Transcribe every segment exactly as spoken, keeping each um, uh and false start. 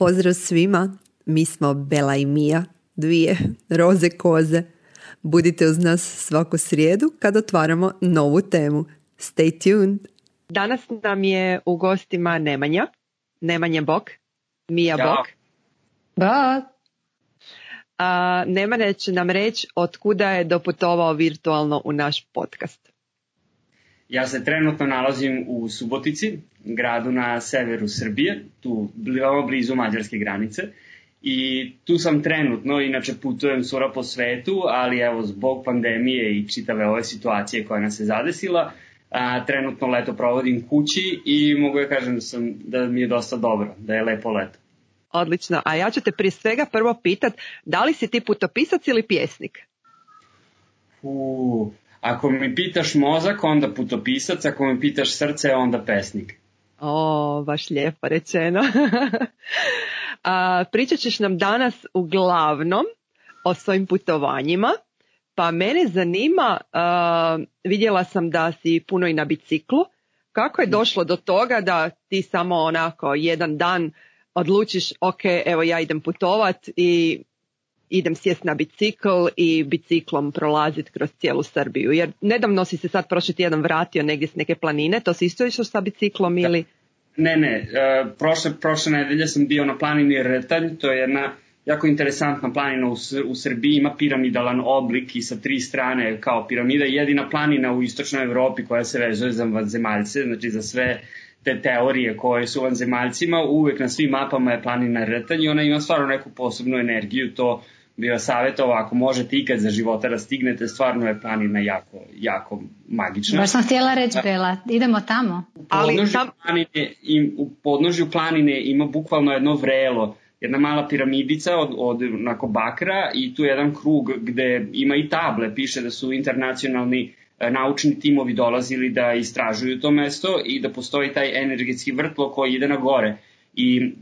Pozdrav svima, mi smo Bela i Mija, dvije roze koze. Budite uz nas svaku srijedu kad otvaramo novu temu. Stay tuned! Danas nam je u gostima Nemanja. Nemanja bok, Mija ja. bok. Bok. A, Nemanja će nam reći od kuda je doputovao virtualno u naš podcast. Ja se trenutno nalazim u Subotici, gradu na severu Srbije, tu veoma blizu mađarske granice. I tu sam trenutno, inače putujem svuda po svetu, ali evo zbog pandemije i čitave ove situacije koja nas je zadesila, a, trenutno leto provodim kući i mogu ja kažem da, sam, da mi je dosta dobro, da je lepo leto. Odlično, a ja ću te prije svega prvo pitat, da li si ti putopisac ili pjesnik? Uuu... Ako mi pitaš mozak, onda putopisac, ako mi pitaš srce, onda pesnik. O, baš lijepo rečeno. A, pričat ćeš nam danas uglavnom o svojim putovanjima, pa mene zanima, a, vidjela sam da si puno i na biciklu. Kako je došlo do toga da ti samo onako jedan dan odlučiš, ok, evo ja idem putovat i idem sjest na bicikl i biciklom prolaziti kroz cijelu Srbiju. Jer nedavno si se sad prošli tjedan vratio negdje s neke planine, to si isto išao sa biciklom ili? Ne, ne, uh, prošle, prošle nedelje sam bio na planini Rtanj, to je jedna jako interesantna planina u, u Srbiji, ima piramidalan oblik i sa tri strane kao piramida, jedina planina u istočnoj Evropi koja se vezuje za vanzemaljce, znači za sve te teorije koje su vanzemaljcima, uvek na svim mapama je planina Rtanj i ona ima stvarno neku posebnu energiju, to bi vas savjetovao, ako možete ikad za života da stignete, stvarno je planina jako, jako magična. Baš sam htjela reći, Bela, idemo tamo. U podnožju, tam... planine, im, u podnožju planine ima bukvalno jedno vrelo, jedna mala piramidica od, od onako bakra i tu je jedan krug gde ima i table, piše da su internacionalni e, naučni timovi dolazili da istražuju to mesto i da postoji taj energetski vrtlo koji ide na gore. I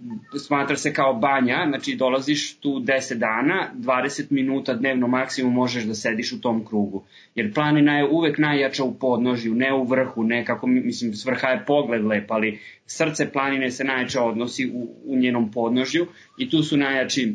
smatra se kao banja, znači dolaziš tu deset dana, dvadeset minuta dnevno maksimum možeš da sediš u tom krugu. Jer planina je uvek najjača u podnožju, ne u vrhu, ne kako, mislim, s vrha je pogled lep, ali srce planine se najjače odnosi u, u njenom podnožju i tu su najjači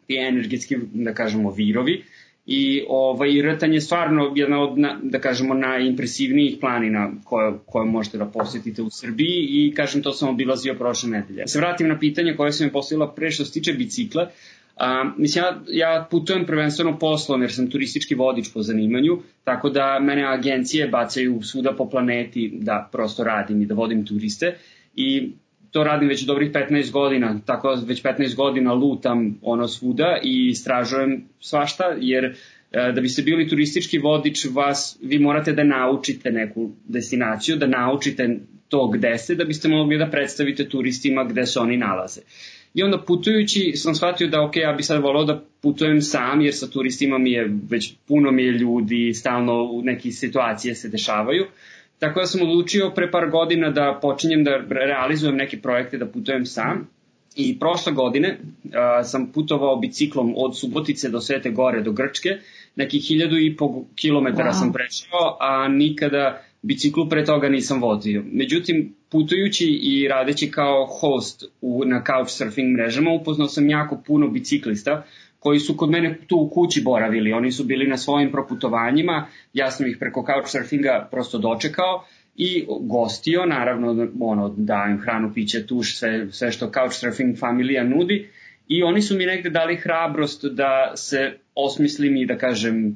ti energetski, da kažemo, virovi. I ovaj, Rtanj je stvarno jedna od, da kažemo, najimpresivnijih planina koje, koje možete da posjetite u Srbiji i, kažem, to sam obilazio prošle nedelje. Se vratim na pitanje koje sam mi postavila pre što se tiče bicikla. A, mislim, ja, ja putujem prvenstveno poslom jer sam turistički vodič po zanimanju, tako da mene agencije bacaju svuda po planeti da prosto radim i da vodim turiste i to radim već dobrih petnaest godina, tako već petnaest godina lutam ono svuda i istražujem svašta, jer da biste bili turistički vodič, vas, vi morate da naučite neku destinaciju, da naučite to gde ste, da biste mogli da predstavite turistima gde se oni nalaze. I onda putujući sam shvatio da ok, ja bi sad volao da putujem sam, jer sa turistima mi je već puno mi je ljudi, stalno u neke situacije se dešavaju. Tako da sam odlučio pre par godina da počinjem da realizujem neke projekte, da putujem sam. I prošle godine uh, sam putovao biciklom od Subotice do Svete Gore do Grčke. Nekih hiljadu i po kilometara wow. sam prešao, a nikada biciklu pre toga nisam vozio. Međutim, putujući i radeći kao host u, na couchsurfing mrežama, upoznao sam jako puno biciklista koji su kod mene tu u kući boravili. Oni su bili na svojim proputovanjima, ja sam ih preko couchsurfinga prosto dočekao i gostio, naravno ono, dajem hranu, piće, tuš, sve, sve što couchsurfing familija nudi i oni su mi negde dali hrabrost da se osmislim i da kažem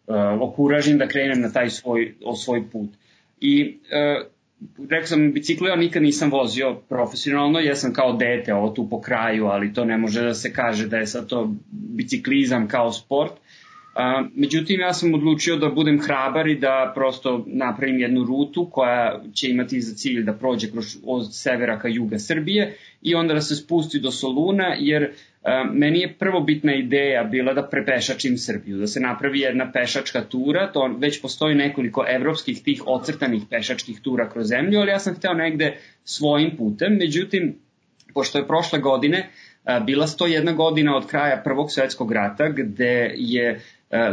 uh, okuražim da krenem na taj svoj, o svoj put. I uh, rekao sam, biciklu ja nikad nisam vozio profesionalno, ja sam kao dete ovo tu po kraju, ali to ne može da se kaže da je sad to biciklizam kao sport. A, međutim, ja sam odlučio da budem hrabar i da prosto napravim jednu rutu koja će imati za cilj da prođe kroz, od severa ka juga Srbije i onda da se spusti do Soluna, jer a, meni je prvobitna ideja bila da prepešačim Srbiju, da se napravi jedna pešačka tura, to već postoji nekoliko evropskih tih ocrtanih pešačkih tura kroz zemlju, ali ja sam hteo negde svojim putem, međutim, pošto je prošle godine a, bila sto jedna godina od kraja Prvog svetskog rata, gde je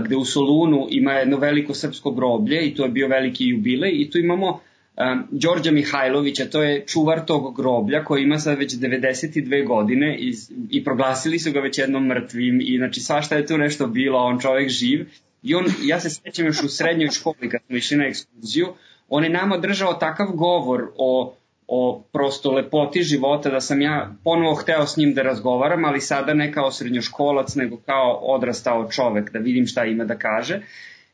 gde u Solunu ima jedno veliko srpsko groblje i to je bio veliki jubilej i tu imamo um, Đorđa Mihajlovića, to je čuvar tog groblja koji ima sad već devedeset dve godine i, i proglasili su ga već jednom mrtvim i znači svašta je tu nešto bilo, on čovjek živ. I on, ja se sjećam još u srednjoj školi kad smo išli na ekskurziju, on je nama držao takav govor o, o prosto lepoti života da sam ja ponovo hteo s njim da razgovaram, ali sada ne kao srednjoškolac, nego kao odrastao čovek, da vidim šta ima da kaže.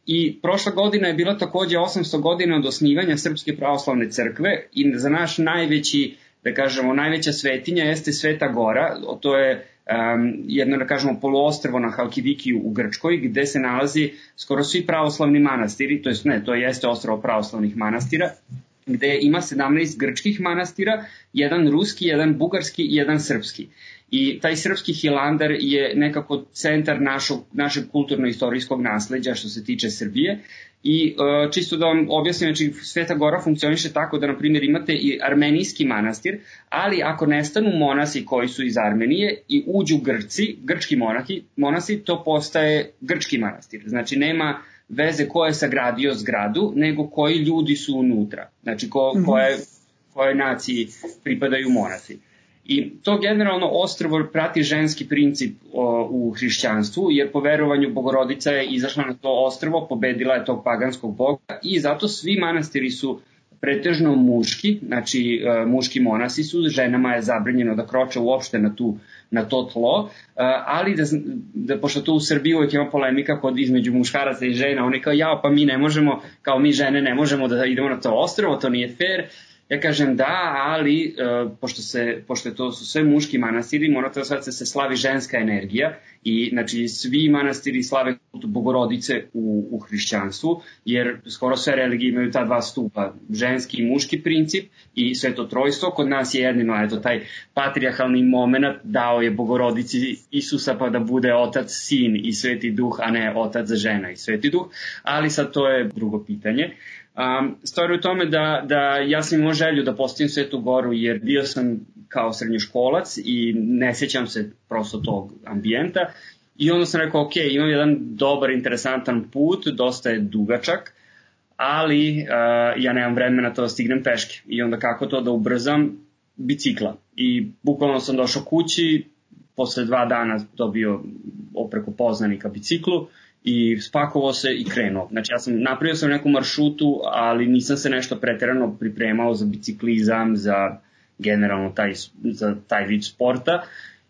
I prošla godina je bila takođe osamsto godina od osnivanja Srpske pravoslavne crkve i za naš najveći, da kažemo, najveća svetinja jeste Sveta Gora, to je um, jedno, da kažemo, poluostrvo na Halkidikiju u Grčkoj, gde se nalazi skoro svi pravoslavni manastiri, to jest ne, to jeste ostrvo pravoslavnih manastira, gde ima sedamnaest grčkih manastira, jedan ruski, jedan bugarski i jedan srpski. I taj srpski Hilandar je nekako centar našog, našeg kulturno-istorijskog nasleđa što se tiče Srbije. I uh, čisto da vam objasnim, znači Sveta Gora funkcioniše tako da, na primjer, imate i armenijski manastir, ali ako nestanu monasi koji su iz Armenije i uđu Grci, grčki monahi, monasi, to postaje grčki manastir. Znači nema veze ko je sagradio zgradu, nego koji ljudi su unutra. Znači ko, koje, koje naciji pripadaju monasi. I to generalno ostrvo prati ženski princip o, u hrišćanstvu, jer po verovanju Bogorodica je izašla na to ostrvo, pobedila je tog paganskog boga i zato svi manastiri su pretežno muški, znači e, muški monasi su, ženama je zabranjeno da kroče uopšte na, tu, na to tlo, e, ali da, da, pošto to u Srbiji uvijek ima polemika kod između muškaraca i žena, oni kao ja, pa mi ne možemo, kao mi žene ne možemo da idemo na to ostrvo, to nije fair. Ja kažem da, ali uh, pošto, se, pošto to su sve muški manastiri, mora to sad se slavi ženska energija i znači svi manastiri slave kult Bogorodice u, u hrišćanstvu, jer skoro sve religije imaju ta dva stupa, ženski i muški princip i sveto trojstvo. Kod nas je jedino, eto, taj patrijarhalni moment dao je Bogorodici Isusa pa da bude otac, sin i sveti duh, a ne otac, žena i sveti duh, ali sad to je drugo pitanje. Um, stvar je u tome da, da ja sam imao želju da postavim Svetu Goru jer bio sam kao srednjoškolac i ne sjećam se prosto tog ambijenta i onda sam rekao ok, imam jedan dobar, interesantan put, dosta je dugačak, ali uh, ja nemam vremena to da stignem peške i onda kako to da ubrzam? Bicikla. I bukvalno sam došao kući, posle dva dana dobio preko poznanika biciklu i spakovao se i krenuo. Znači ja sam napravio sam neku maršrutu, ali nisam se nešto preterano pripremao za biciklizam, za generalno taj, za taj vid sporta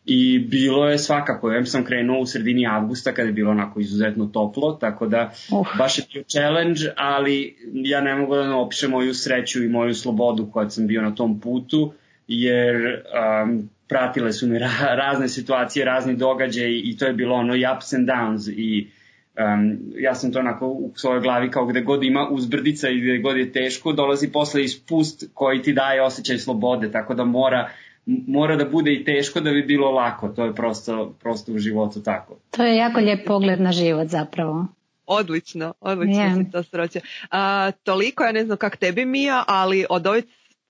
i bilo je svakako. Ja sam krenuo u sredini avgusta kada je bilo onako izuzetno toplo, tako da uh. baš je bio challenge, ali ja ne mogu da opišem moju sreću i moju slobodu koja sam bio na tom putu, jer um, pratile su mi ra- razne situacije, razni događaji i to je bilo ono i ups and downs i Um, ja sam to onako u svojoj glavi kao gde god ima uzbrdica i gde god je teško, dolazi posle ispust koji ti daje osjećaj slobode, tako da mora, mora da bude i teško da bi bilo lako, to je prosto, prosto u životu tako. To je jako lijep pogled na život zapravo. Odlično, odlično yeah. si to sroče. A, toliko, ja ne znam kak tebi Mija, ali od ove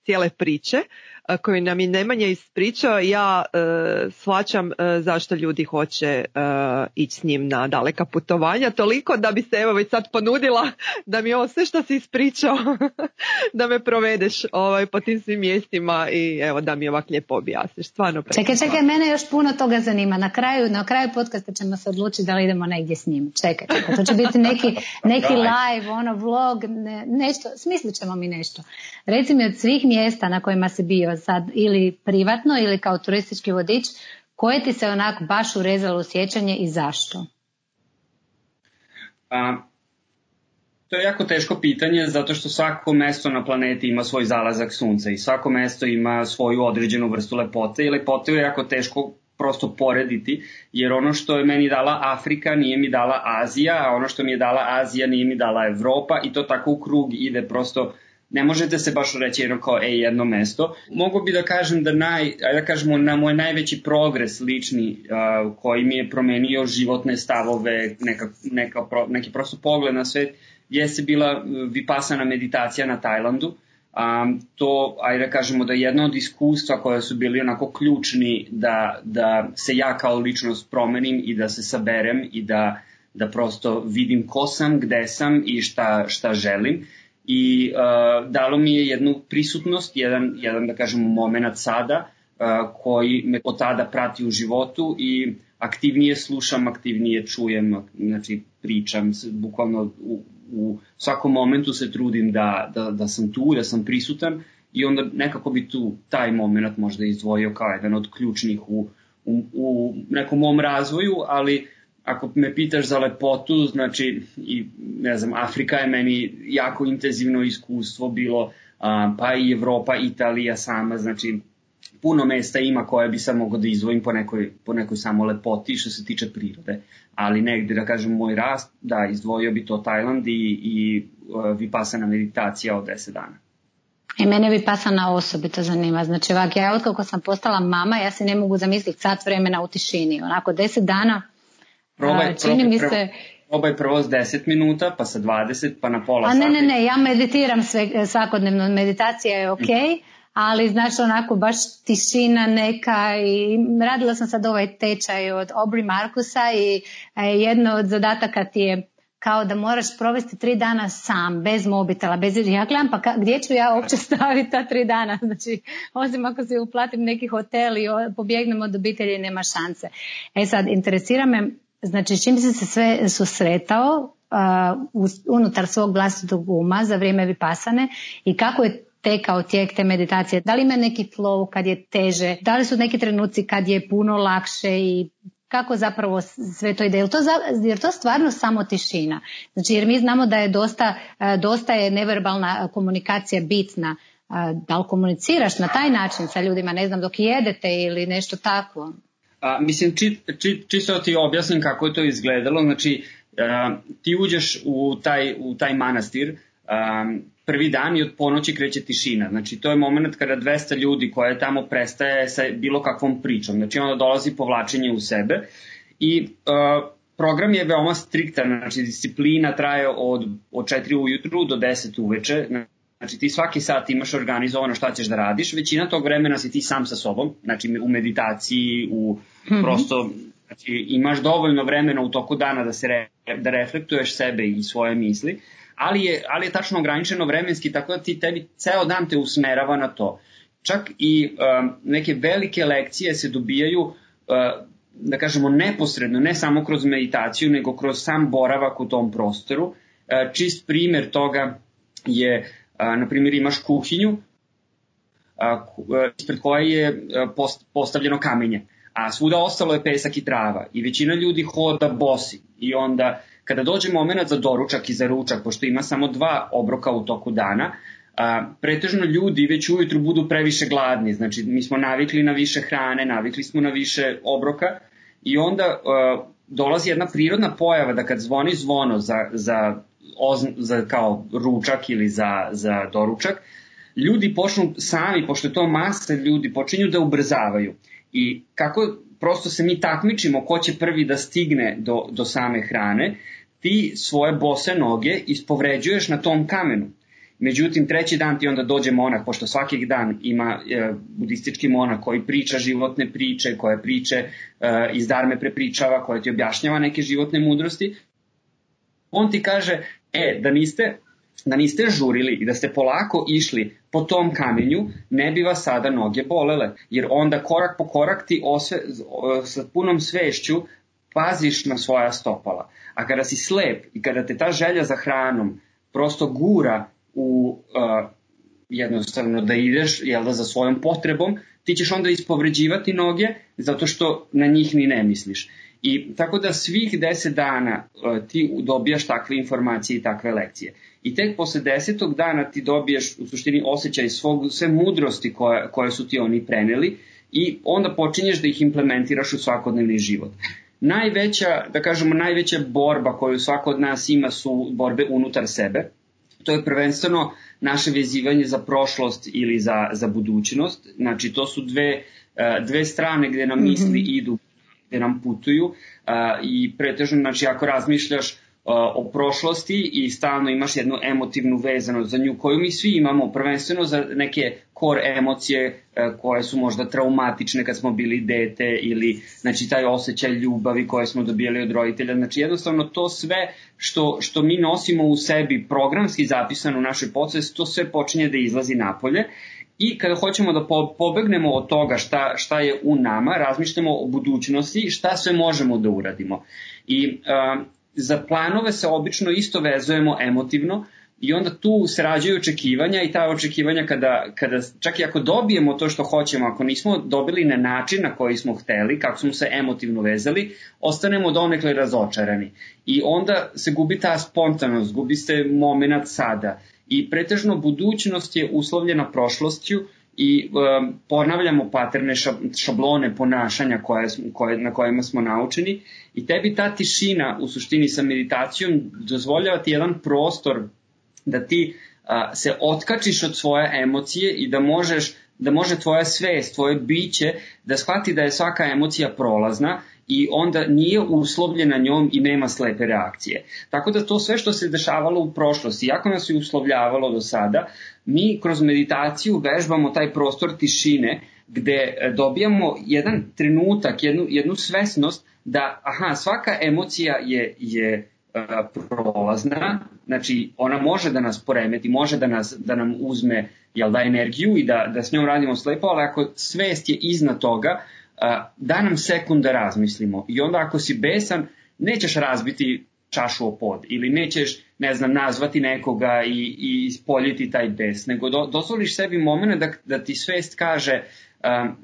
cijele priče koju nam je Nemanja ispričao, ja e, shvaćam e, zašto ljudi hoće e, ići s njim na daleka putovanja, toliko da bi se evo već sad ponudila da mi ovo sve što si ispričao da me provedeš ovaj, po tim svim mjestima i evo da mi ovak lijepo objasniš. Stvarno čekaj, čekaj, mene još puno toga zanima. Na kraju, na kraju podcasta ćemo se odlučiti da li idemo negdje s njim. Čekaj, čekaj. To će biti neki, neki live, ono, vlog, ne, nešto, smislit ćemo mi nešto. Reci mi od svih mjesta na kojima si bio sad ili privatno ili kao turistički vodič, koje ti se onako baš urezalo u sjećanje i zašto? A, to je jako teško pitanje zato što svako mesto na planeti ima svoj zalazak sunca i svako mesto ima svoju određenu vrstu lepote i lepote je jako teško prosto porediti, jer ono što je meni dala Afrika nije mi dala Azija, a ono što mi je dala Azija nije mi dala Evropa i to tako u krug ide, prosto ne možete se baš reći jedno kao ej, jedno mesto. Mogu bi da kažem da naj, ajde da kažemo na moj najveći progres lični uh, koji mi je promenio životne stavove, neka, neka, neki prosto pogled na svet, jeste bila vipassana meditacija na Tajlandu. Um, to, ajde da kažemo da je jedno od iskustva koja su bili onako ključni da, da se ja kao ličnost promenim i da se saberem i da, da prosto vidim ko sam, gde sam i šta, šta želim. i uh, dalo mi je jednu prisutnost, jedan, jedan da kažemo moment sada uh, koji me od tada prati u životu i aktivnije slušam, aktivnije čujem, znači pričam, bukvalno u, u svakom momentu se trudim da, da, da sam tu, da sam prisutan i onda nekako bi tu taj moment možda izdvojio kao jedan od ključnih u, u, u nekom mom razvoju, ali ako me pitaš za lepotu, znači, i, ne znam, Afrika je meni jako intenzivno iskustvo bilo, a, pa i Evropa, Italija sama, znači, puno mesta ima koje bi sam mogao da izdvojim po nekoj, po nekoj samo lepoti što se tiče prirode, ali negde, da kažem, moj rast, da, izdvojio bi to Tajland i, i uh, vipassana meditacija od deset dana. I mene vipassana osobito zanima. Znači, ovak, ja otkako sam postala mama, ja se ne mogu zamisliti sat vremena u tišini. Onako, deset dana, probaj, a, čini probaj, mi se... Probaj, probaj prvo s deset minuta, pa sa dvadeset, pa na pola a, sata. Ne, ne, ne, ja meditiram sve, svakodnevno, meditacija je ok, mm. ali znači onako baš tišina neka i radila sam sad ovaj tečaj od Aubrey Marcusa i jedno od zadataka ti je kao da moraš provesti tri dana sam, bez mobitela, bez... Ja gledam, pa ka, gdje ću ja uopće staviti ta tri dana? Znači, osim ako se uplatim neki hotel i pobjegnem od obitelji, nema šanse. E sad, interesira me, znači, čim si se sve susretao uh, unutar svog vlastitog uma za vrijeme vipassane i kako je tekao tijek te meditacije? Da li ima neki flow kad je teže? Da li su neki trenuci kad je puno lakše i kako zapravo sve to ide? Jer to, jer to stvarno samo tišina. Znači, jer mi znamo da je dosta, dosta je neverbalna komunikacija bitna. Da li komuniciraš na taj način sa ljudima, ne znam, dok jedete ili nešto tako? A, mislim, či, či, čisto ti objasnim kako je to izgledalo. Znači, a, ti uđeš u taj, u taj manastir, a, prvi dan i od ponoći kreće tišina. Znači, to je moment kada dvesta ljudi koje tamo prestaje sa bilo kakvom pričom. Znači, onda dolazi povlačenje u sebe i uh, program je veoma striktan. Znači, disciplina traje od, od četiri ujutru do deset uveče. Znači, ti svaki sat imaš organizovano šta ćeš da radiš. Većina tog vremena si ti sam sa sobom. Znači, u meditaciji, u mm-hmm. prosto... Znači, imaš dovoljno vremena u toku dana da, se re, da reflektuješ sebe i svoje misli. Ali je, ali je tačno ograničeno vremenski, tako da ti tebi ceo dan te usmerava na to. Čak i um, neke velike lekcije se dobijaju, uh, da kažemo, neposredno, ne samo kroz meditaciju, nego kroz sam boravak u tom prostoru. Uh, čist primjer toga je, uh, na primjer, imaš kuhinju, uh, ispred koje je uh, post, postavljeno kamenje, a svuda ostalo je pesak i trava i većina ljudi hoda bosi i onda... Kada dođe moment za doručak i za ručak, pošto ima samo dva obroka u toku dana, a, pretežno ljudi već ujutru budu previše gladni. Znači, mi smo navikli na više hrane, navikli smo na više obroka i onda a, dolazi jedna prirodna pojava da kad zvoni zvono za, za, ozn, za kao ručak ili za, za doručak, ljudi počnu sami, pošto je to masa ljudi, počinju da ubrzavaju. I kako prosto se mi takmičimo ko će prvi da stigne do, do same hrane, ti svoje bose noge ispovređuješ na tom kamenu. Međutim, treći dan ti onda dođe monah, pošto svaki dan ima e, budistički monah koji priča životne priče, koje priče e, iz dharme prepričava, koje ti objašnjava neke životne mudrosti. On ti kaže, e, da niste, da niste žurili i da ste polako išli po tom kamenju, ne bi vas sada noge bolele, jer onda korak po korak ti osve, sa punom svešću paziš na svoja stopala. A kada si slep i kada te ta želja za hranom prosto gura u uh, jednostavno da ideš, jel da, za svojom potrebom, ti ćeš onda ispovređivati noge zato što na njih ni ne misliš. I tako da svih deset dana uh, ti dobijaš takve informacije i takve lekcije. I tek posle desetog dana ti dobiješ u suštini osjećaj svog, sve mudrosti koje, koje su ti oni preneli i onda počinješ da ih implementiraš u svakodnevni život. Najveća, da kažemo, najveća borba koju svako od nas ima su borbe unutar sebe. To je prvenstveno naše vezivanje za prošlost ili za, za budućnost. Znači, to su dve, dve strane gde nam misli mm-hmm. idu, gde nam putuju. I pretežno, znači, ako razmišljaš o prošlosti i stalno imaš jednu emotivnu vezanost za nju koju mi svi imamo, prvenstveno za neke core emocije koje su možda traumatične kad smo bili dete ili znači taj osjećaj ljubavi koje smo dobijali od roditelja. Znači jednostavno to sve što, što mi nosimo u sebi programski zapisano u našoj podsvesti, to sve počinje da izlazi napolje. I kada hoćemo da pobegnemo od toga šta, šta je u nama, razmišljamo o budućnosti, šta sve možemo da uradimo. I uh, za planove se obično isto vezujemo emotivno i onda tu se rađaju očekivanja i ta očekivanja kada, kada čak i ako dobijemo to što hoćemo, ako nismo dobili na način na koji smo hteli, kako smo se emotivno vezali, ostanemo donekle razočarani. I onda se gubi ta spontanost, gubi se moment sada. I pretežno budućnost je uslovljena prošlošću i um, ponavljamo paterne šablone ponašanja koje, koje, na kojima smo naučeni i tebi ta tišina u suštini sa meditacijom dozvoljava ti jedan prostor da ti uh, se otkačiš od svoje emocije i da možeš da može tvoja svest, tvoje biće da shvati da je svaka emocija prolazna i onda nije uslovljena njom i nema slepe reakcije. Tako da to sve što se dešavalo u prošlosti, iako nas je uslovljavalo do sada, mi kroz meditaciju vežbamo taj prostor tišine gde dobijamo jedan trenutak, jednu, jednu svesnost da aha, svaka emocija je, je uh, prolazna, znači ona može da nas poremeti, može da, nas, da nam uzme jel da, energiju i da, da s njom radimo slepo, ali ako svest je iznad toga, da nam sekund da razmislimo i onda ako si besan nećeš razbiti čašu o pod ili nećeš, ne znam, nazvati nekoga i, i ispoljiti taj bes, nego do, dozvoliš sebi moment da, da ti svest kaže um,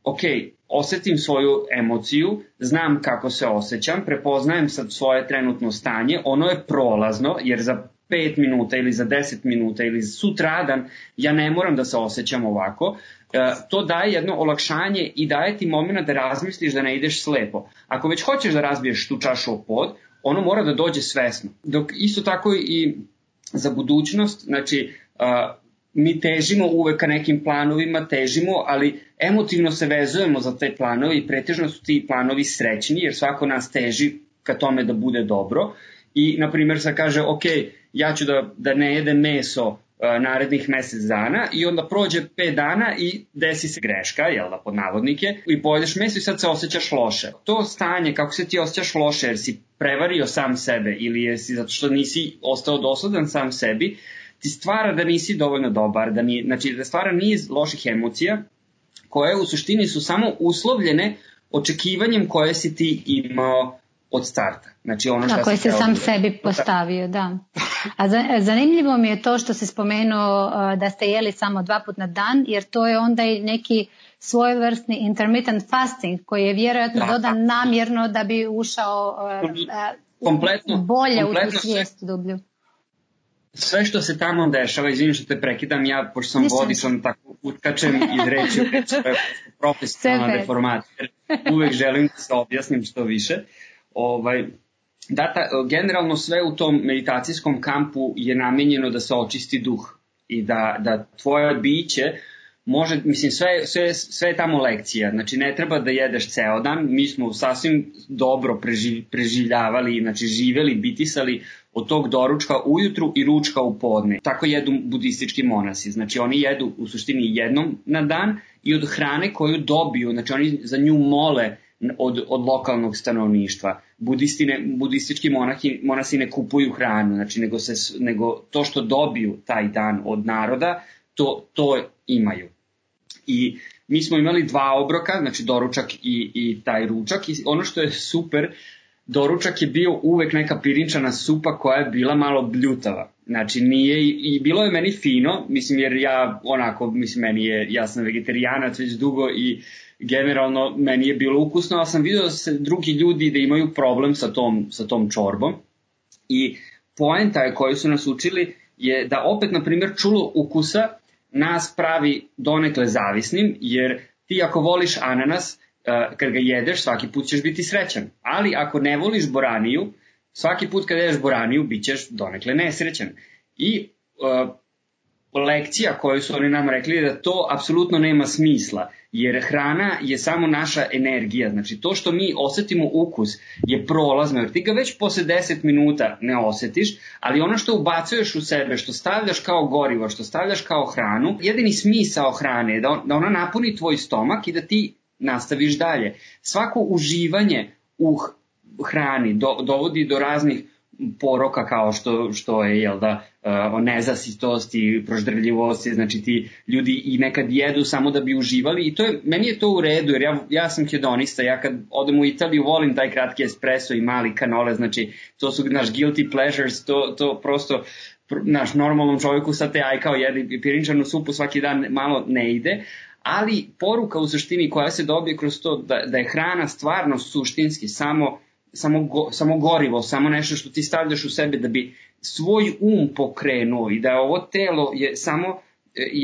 ok, osetim svoju emociju, znam kako se osjećam, prepoznajem sad svoje trenutno stanje, ono je prolazno jer za pet minuta ili za deset minuta ili sutradan ja ne moram da se osjećam ovako. To daje jedno olakšanje i daje ti moment da razmisliš da ne ideš slepo. Ako već hoćeš da razbiješ tu čašu o pod, ono mora da dođe svesno. Dok isto tako i za budućnost, znači mi težimo uvek ka nekim planovima, težimo, ali emotivno se vezujemo za te planove i pretežno su ti planovi srećni jer svako nas teži ka tome da bude dobro. I, na primjer, sad kaže, ok, ja ću da, da ne jedem meso uh, narednih mesec dana i onda prođe pet dana i desi se greška, jel da, pod navodnike, i pojedeš meso i sad se osjećaš loše. To stanje, kako se ti osjećaš loše, jer si prevario sam sebe ili jesi zato što nisi ostao dosledan sam sebi, ti stvara da nisi dovoljno dobar, da, ni, znači, da stvara niz loših emocija koje u suštini su samo uslovljene očekivanjem koje si ti imao od starta. Znači ono što koje se sam sebi postavio, da. A zanimljivo mi je to što si spomenuo da ste jeli samo dva put na dan, jer to je onda i neki svojevrsni intermittent fasting koji je vjerojatno da, dodan da. namjerno da bi ušao kompletno, bolje kompletno u tu svijest dublju. Sve što se tamo dešava, izvinim što te prekidam, ja, pošto sam vodičan, tako utkačem iz reči u reči, to je profesionalna deformacija. Uvek želim da se objasnim što više. Ovaj, da, ta, generalno sve u tom meditacijskom kampu je namenjeno da se očisti duh i da, da tvoje biće može, mislim, sve, sve, sve je tamo lekcija, znači ne treba da jedeš ceo dan, mi smo sasvim dobro preživ, preživljavali, znači živeli, bitisali od tog doručka ujutru i ručka u podne. Tako jedu budistički monasi, znači oni jedu u suštini jednom na dan i od hrane koju dobiju, znači oni za nju mole od, od lokalnog stanovništva. Budistine, budistički monahi, monasi ne kupuju hranu, znači nego, se, nego to što dobiju taj dan od naroda, to, to imaju. I mi smo imali dva obroka, znači doručak i, i taj ručak, i ono što je super, doručak je bio uvek neka pirinčana supa koja je bila malo bljutava. Znači nije, i bilo je meni fino, mislim jer ja onako, mislim meni je, ja sam vegetarijanac već dugo i generalno meni je bilo ukusno, ali sam vidio da se drugi ljudi da imaju problem sa tom, sa tom čorbom. I poenta je koju su nas učili je da opet, na primjer, čulo ukusa nas pravi donekle zavisnim, jer ti ako voliš ananas, kad ga jedeš, svaki put ćeš biti srećan. Ali ako ne voliš boraniju, svaki put kad jedeš boraniju, bit ćeš donekle nesrećan. I uh, lekcija koju su oni nam rekli da to apsolutno nema smisla, jer hrana je samo naša energija, znači to što mi osetimo ukus je prolazno, jer ti ga već posle deset minuta ne osetiš, ali ono što ubacuješ u sebe, što stavljaš kao gorivo, što stavljaš kao hranu, jedini smisao hrane je da, on, da ona napuni tvoj stomak i da ti nastaviš dalje. Svako uživanje u hrani do, dovodi do raznih poroka kao što, što je, jel da, o nezasitosti, proždrljivosti, znači ti ljudi i nekad jedu samo da bi uživali i to je, meni je to u redu jer ja, ja sam hedonista, ja kad odem u Italiju volim taj kratki espresso i mali kanole, znači to su naš guilty pleasures, to, to prosto naš normalnom čovjeku sa te aj kao jedi pirinčanu supu svaki dan malo ne ide, ali poruka u suštini koja se dobije kroz to da, da je hrana stvarno suštinski samo Samo, go, samo gorivo, samo nešto što ti stavljaš u sebe da bi svoj um pokrenuo i da je ovo telo je samo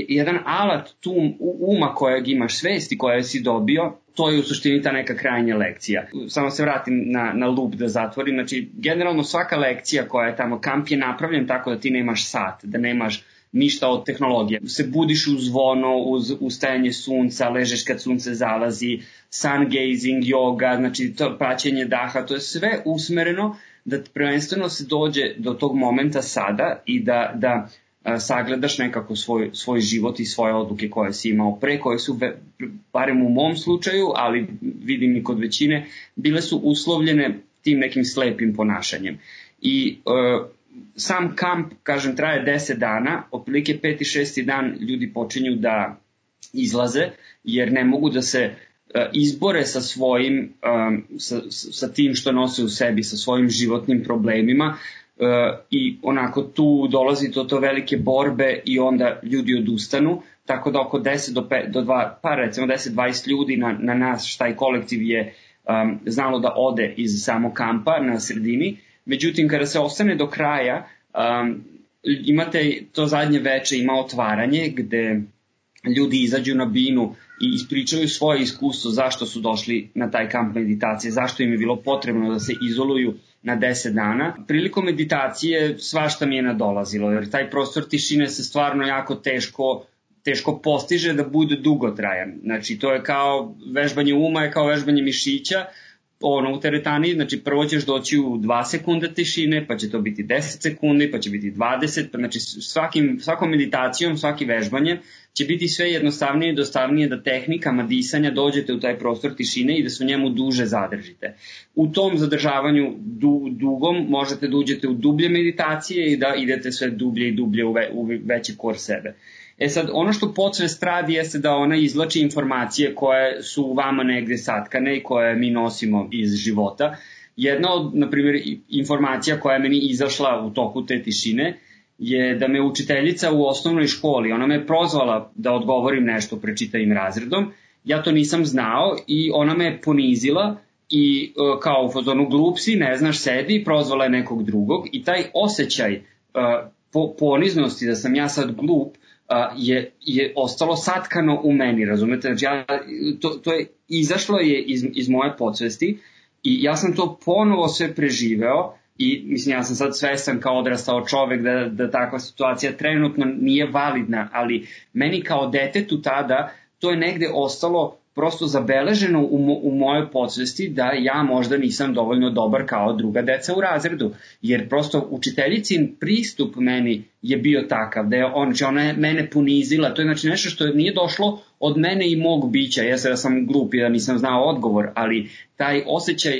jedan alat tu uma kojeg imaš, svesti koje si dobio, to je u suštini ta neka krajnja lekcija. Samo se vratim na, na loop da zatvorim, znači generalno svaka lekcija koja je tamo, kamp je napravljen tako da ti nemaš sat, da nemaš ništa od tehnologije. Se budiš uz zvono, uz ustajanje sunca, ležeš kad sunce zalazi, sun gazing, yoga, znači to praćenje daha, to je sve usmereno da prvenstveno se dođe do tog momenta sada i da, da a, sagledaš nekako svoj, svoj život i svoje odluke koje si imao pre, koje su, ve, barem u mom slučaju, ali vidim i kod većine, bile su uslovljene tim nekim slepim ponašanjem. I uh, sam kamp, kažem, traje deset dana, otprilike peti, šesti dan ljudi počinju da izlaze, jer ne mogu da se uh, izbore sa svojim, um, sa, sa tim što nose u sebi, sa svojim životnim problemima uh, i onako tu dolazi do to velike borbe i onda ljudi odustanu, tako da oko deset do pet, do dva, pa recimo deset do dvadeset ljudi na, na nas, taj kolektiv je um, znalo da ode iz samog kampa na sredini. Međutim, kada se ostane do kraja, um, imate to zadnje veče, ima otvaranje gde ljudi izađu na binu i ispričaju svoje iskustvo zašto su došli na taj kamp meditacije, zašto im je bilo potrebno da se izoluju na deset dana. Prilikom meditacije svašta mi je nadolazilo, jer taj prostor tišine se stvarno jako teško, teško postiže da bude dugotrajan. Znači, to je kao vežbanje uma, je kao vežbanje mišića, ono u teretani, znači prvo ćeš doći u dva sekunda tišine, pa će to biti deset sekundi, pa će biti dvadeset, pa znači svakim, svakom meditacijom, svaki vežbanje će biti sve jednostavnije i dostavnije da tehnikama disanja dođete u taj prostor tišine i da se u njemu duže zadržite. U tom zadržavanju du, dugom možete da uđete u dublje meditacije i da idete sve dublje i dublje u, ve, u veći kor sebe. E sad, ono što podsvest radi jeste da ona izvlači informacije koje su u vama negde satkane i koje mi nosimo iz života. Jedna od, na primjer, informacija koja je meni izašla u toku te tišine je da me učiteljica u osnovnoj školi, ona me prozvala da odgovorim nešto pred čitavim razredom. Ja to nisam znao i ona me ponizila i kao u fazonu glup si, ne znaš, sedi, prozvala je nekog drugog i taj osjećaj po, poniznosti da sam ja sad glup je, je ostalo satkano u meni, razumete? Znači, ja, to, to je izašlo je iz, iz moje podsvesti i ja sam to ponovo sve preživeo i mislim ja sam sad svestan kao odrastao čovek da, da takva situacija trenutno nije validna, ali meni kao detetu tada to je negde ostalo prosto zabeleženo u, mo, u mojoj podsvesti da ja možda nisam dovoljno dobar kao druga deca u razredu, jer prosto učiteljicin pristup meni je bio takav, da je on, znači ona je mene ponizila, to je znači nešto što nije došlo od mene i mog bića, ja da sam glup i da nisam znao odgovor, ali taj osjećaj,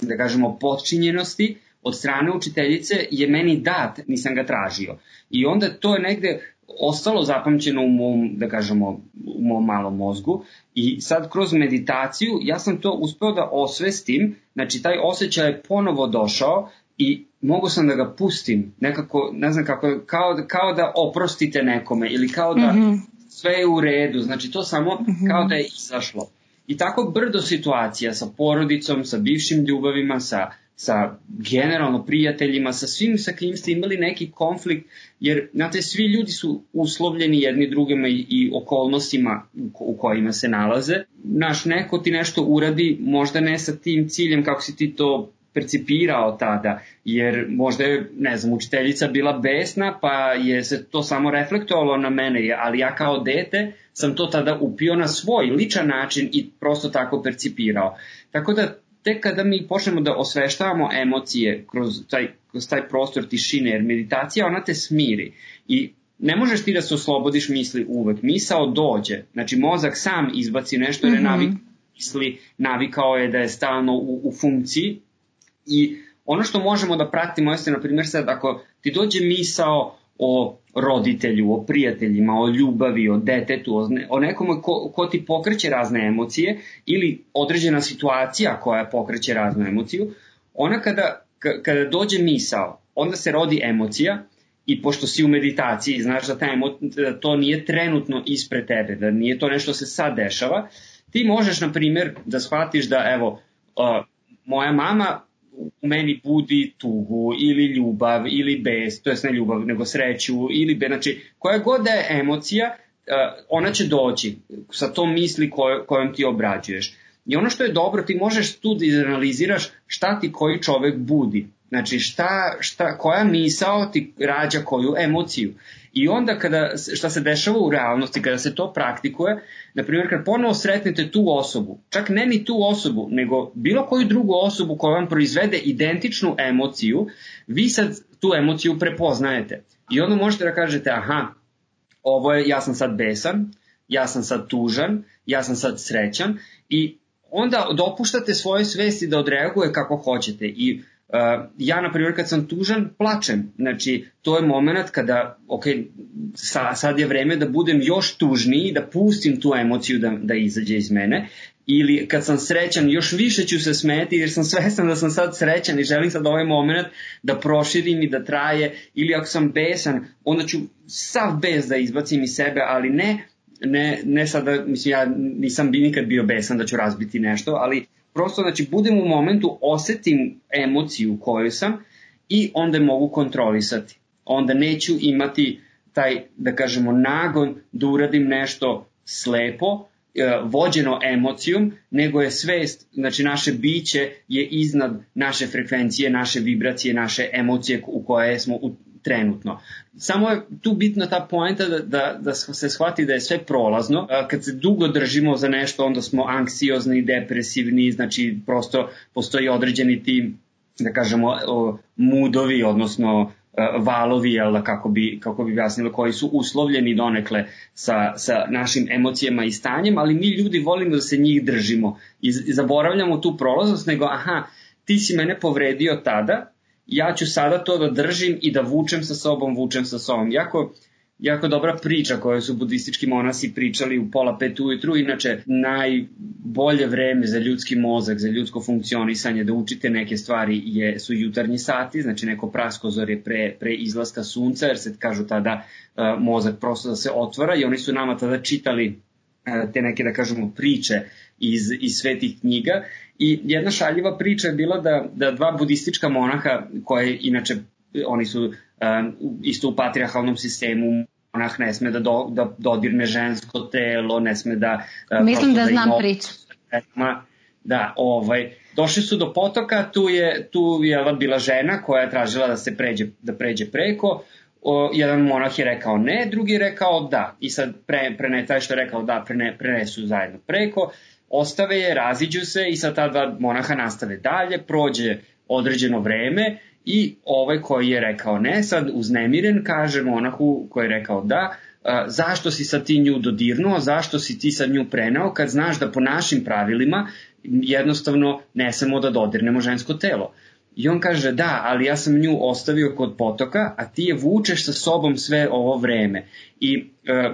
da kažemo, potčinjenosti od strane učiteljice je meni dat, nisam ga tražio. I onda to je negde ostalo zapamćeno u mom, da kažemo, u mom malom mozgu i sad kroz meditaciju ja sam to uspeo da osvestim, znači taj osjećaj je ponovo došao i mogu sam da ga pustim, nekako, ne znam kako, kao, kao da oprostite nekome ili kao da mm-hmm. sve je u redu, znači to samo mm-hmm. kao da je izašlo. I tako brdo situacija sa porodicom, sa bivšim ljubavima, sa sa generalno prijateljima, sa svim sa kim ste imali neki konflikt, jer znate, svi ljudi su uslovljeni jedni drugima i, i okolnostima u kojima se nalaze. Naš neko ti nešto uradi, možda ne sa tim ciljem kako si ti to percipirao tada, jer možda je, ne znam, učiteljica bila besna, pa je se to samo reflektovalo na mene, ali ja kao dete sam to tada upio na svoj ličan način i prosto tako percipirao. Tako da tek kada mi počnemo da osveštavamo emocije kroz taj, kroz taj prostor tišine, jer meditacija ona te smiri i ne možeš ti da se oslobodiš misli uvek. Misao dođe, znači mozak sam izbaci nešto jer je navik, misli, navikao je da je stalno u, u funkciji i ono što možemo da pratimo jeste, na primjer, sad ako ti dođe misao o roditelju, o prijateljima, o ljubavi, o detetu, o, ne, o nekome ko, ko ti pokreće razne emocije ili određena situacija koja pokreće raznu emociju, ona kada, kada dođe misao, onda se rodi emocija i pošto si u meditaciji, znaš da, ta emo, da to nije trenutno ispred tebe, da nije to nešto se sad dešava, ti možeš, na primjer, da shvatiš da, evo, uh, moja mama u meni budi tugu ili ljubav ili bes, to jest ne ljubav nego sreću ili be, znači koja god da je emocija, ona će doći sa tom misli koj, kojom ti obrađuješ. I ono što je dobro, ti možeš tu da izanaliziraš šta ti koji čovek budi. Znači šta, šta, koja misao ti rađa koju emociju. I onda kada, šta se dešava u realnosti, kada se to praktikuje, na primjer kad ponovo sretnete tu osobu, čak ne ni tu osobu, nego bilo koju drugu osobu koja vam proizvede identičnu emociju, vi sad tu emociju prepoznajete. I onda možete da kažete, aha, ovo je, ja sam sad besan, ja sam sad tužan, ja sam sad srećan i onda dopuštate svoje svesti da odreaguje kako hoćete. I Uh, ja, na primjer, kad sam tužan, plačem. Znači, to je moment kada, ok, sa, sad je vreme da budem još tužniji, da pustim tu emociju da, da izađe iz mene. Ili kad sam srećan, još više ću se smeti jer sam svestan da sam sad srećan i želim sad ovaj moment da proširim i da traje. Ili ako sam besan, onda ću sav bes da izbacim iz sebe, ali ne, ne, ne sada, mislim, ja nisam bi nikad bio besan da ću razbiti nešto, ali prosto, znači, budem u momentu, osetim emociju koju sam i onda mogu kontrolisati. Onda neću imati taj, da kažemo, nagon da uradim nešto slepo, vođeno emocijom, nego je svest, znači naše biće je iznad naše frekvencije, naše vibracije, naše emocije u koje smo u, trenutno. Samo je tu bitna ta poenta da, da, da se shvati da je sve prolazno. Kad se dugo držimo za nešto, onda smo anksiozni, depresivni, znači prosto postoji određeni ti, da kažemo, mudovi, odnosno valovi, jel, kako bi, kako bi jasnilo, koji su uslovljeni donekle sa, sa našim emocijama i stanjem, ali mi ljudi volimo da se njih držimo i, i zaboravljamo tu prolaznost, nego aha, ti si mene povredio tada, ja ću sada to da držim i da vučem sa sobom, vučem sa sobom. Jako, jako dobra priča koju su budistički monasi pričali u pola pet ujutru, inače najbolje vreme za ljudski mozak, za ljudsko funkcionisanje, da učite neke stvari je, su jutarnji sati, znači neko praskozorje pre, pre izlaska sunca, jer se kažu tada uh, mozak prosto da se otvara i oni su nama tada čitali uh, te neke, da kažemo, priče iz, iz svetih knjiga. I jedna šaljiva priča je bila da, da dva budistička monaha, koje inače oni su um, isto u patrijarhalnom sistemu, monah ne sme da, do, da dodirne žensko telo, ne sme da... Uh, Mislim da, da znam ima, priču. Da, ovaj, došli su do potoka, tu je, tu je bila žena koja je tražila da se pređe, da pređe preko, o, jedan monah je rekao ne, drugi je rekao da. I sad pre, pre, taj što je rekao da, prene, prenesu zajedno preko, ostave je, raziđu se i sad ta dva monaha nastave dalje, prođe određeno vreme i ovaj koji je rekao ne, sad uznemiren kaže monahu koji je rekao da, a, zašto si sad ti nju dodirnuo, zašto si ti sad nju preneo kad znaš da po našim pravilima jednostavno ne smemo da dodirnemo žensko telo. I on kaže da, ali ja sam nju ostavio kod potoka, a ti je vučeš sa sobom sve ovo vreme. I e,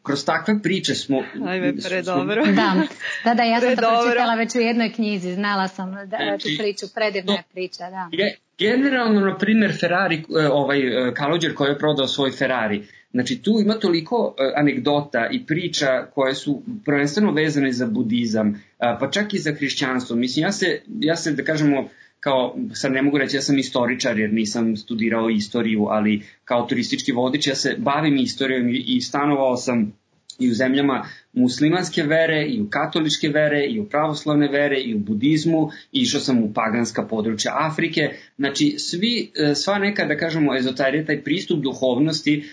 kroz takve priče smo... Ajme, predobro. Da, da, da, ja sam predobro. to pročitala već u jednoj knjizi, znala sam da, tu priču, predivna je priča, da. Je, generalno, na primjer, Ferrari, ovaj Kalođer koji je prodao svoj Ferrari, znači tu ima toliko anegdota i priča koje su prvenstveno vezane za budizam, pa čak i za hrišćanstvo. Mislim, ja se, ja se da kažemo, kao, sad ne mogu reći ja sam istoričar jer nisam studirao istoriju, ali kao turistički vodič ja se bavim istorijom i stanovao sam i u zemljama muslimanske vere, i u katoličke vere, i u pravoslavne vere, i u budizmu, i išao sam u paganska područja Afrike. Znači, svi, sva neka, da kažemo, ezoterija, taj pristup duhovnosti,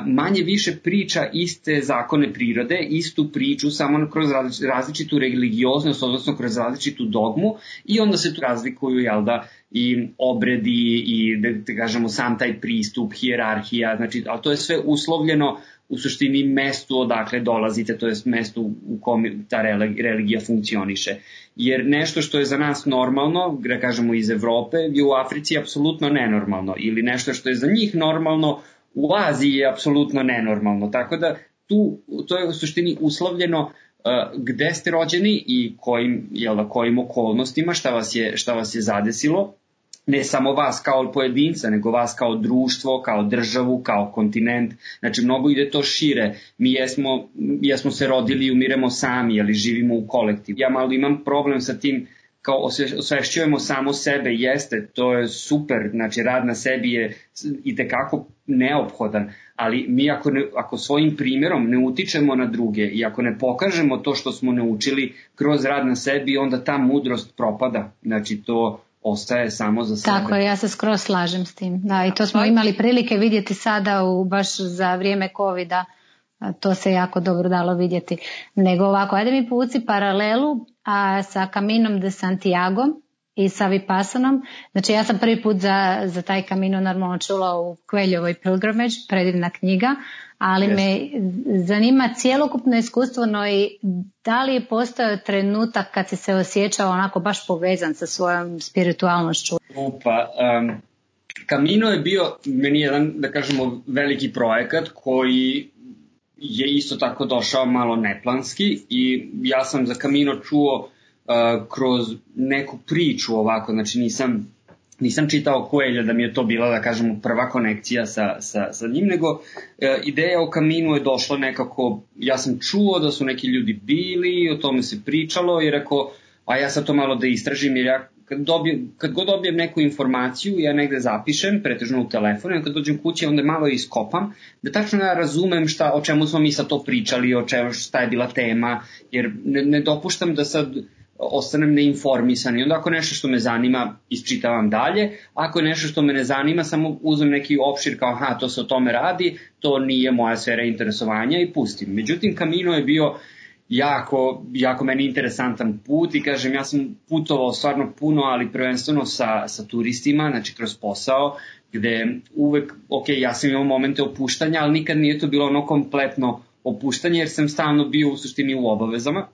manje više priča iste zakone prirode, istu priču, samo kroz različitu religioznost, odnosno kroz različitu dogmu, i onda se tu razlikuju, jel da, i obredi, i, da, da kažemo, sam taj pristup, hijerarhija, znači, ali to je sve uslovljeno u suštini mestu odakle dolazite, to je mesto u kome ta religija funkcioniše. Jer nešto što je za nas normalno, da kažemo iz Evrope, je u Africi apsolutno nenormalno, ili nešto što je za njih normalno u Aziji je apsolutno nenormalno. Tako da tu, to je u suštini uslovljeno uh, gde ste rođeni i kojim, jel da, kojim okolnostima, šta vas je, šta vas je zadesilo. Ne samo vas kao pojedinca, nego vas kao društvo, kao državu, kao kontinent. Znači, mnogo ide to šire. Mi jesmo, jesmo se rodili i umiremo sami, ali živimo u kolektivu. Ja malo imam problem sa tim, kao osvešćujemo samo sebe, jeste, to je super, znači rad na sebi je itekako neophodan, ali mi ako, ne, ako svojim primjerom ne utičemo na druge i ako ne pokažemo to što smo naučili kroz rad na sebi, onda ta mudrost propada, znači to ostaje samo za sebe. Tako je, ja se skroz slažem s tim. Da, i to smo imali prilike vidjeti sada u, baš za vrijeme covida, to se jako dobro dalo vidjeti. Nego ovako, ajde mi povuci paralelu a sa Caminom de Santiago i sa Vipassanom. Znači ja sam prvi put za, za taj Camino normalno čula u Coelhovoj Pilgrimage, predivna knjiga, ali yes. me zanima cjelokupno iskustvo, no i da li je postojao trenutak kad si se osjećao onako baš povezan sa svojom spiritualnošću? Upa, um, Camino je bio meni jedan, da kažemo, veliki projekat koji je isto tako došao malo neplanski i ja sam za Camino čuo uh, kroz neku priču ovako, znači nisam, nisam čitao Coelho da mi je to bila, da kažemo, prva konekcija sa, sa, sa njim, nego uh, ideja o Caminu je došla nekako, ja sam čuo da su neki ljudi bili, o tome se pričalo i rekao, a ja sad to malo da istražim jer ja kad, dobijem, kad god dobijem neku informaciju, ja negde zapišem, pretežno u telefonu, i kad dođem kući onda malo iskopam, da tačno ja razumem šta, o čemu smo mi sad to pričali, o čemu, šta je bila tema, jer ne, ne dopuštam da sad ostanem neinformisan i onda ako nešto što me zanima isčitavam dalje, ako je nešto što me ne zanima samo uzmem neki opšir kao aha, to se o tome radi, to nije moja sfera interesovanja i pustim. Međutim, Camino je bio jako, jako meni interesantan put i kažem, ja sam putovao stvarno puno, ali prvenstveno sa, sa turistima, znači kroz posao, gde uvek, ok, ja sam imao momente opuštanja, ali nikad nije to bilo ono kompletno opuštanje, jer sam stalno bio u suštini u obavezama.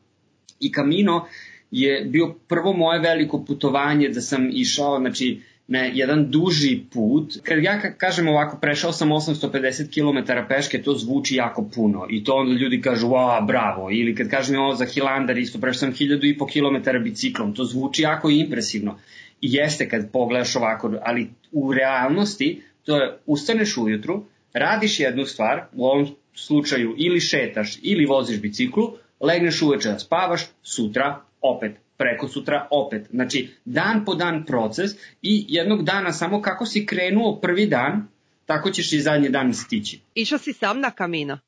I Camino je bio prvo moje veliko putovanje da sam išao, znači, na jedan duži put. Kad ja kažem ovako, prešao sam osamsto pedeset kilometara peške, to zvuči jako puno i to onda ljudi kažu, wow, bravo. Ili kad kažem ovo za Hilandar, isto prešao sam hiljadu i po kilometara biciklom, to zvuči jako impresivno. I jeste kad pogledaš ovako, ali u realnosti to je, ustaneš ujutru, radiš jednu stvar, u ovom slučaju ili šetaš ili voziš biciklu, legneš uveče da spavaš, sutra opet, preko sutra opet. Znači, dan po dan proces i jednog dana samo kako si krenuo prvi dan, tako ćeš i zadnji dan stići. Išao si sam na Camino?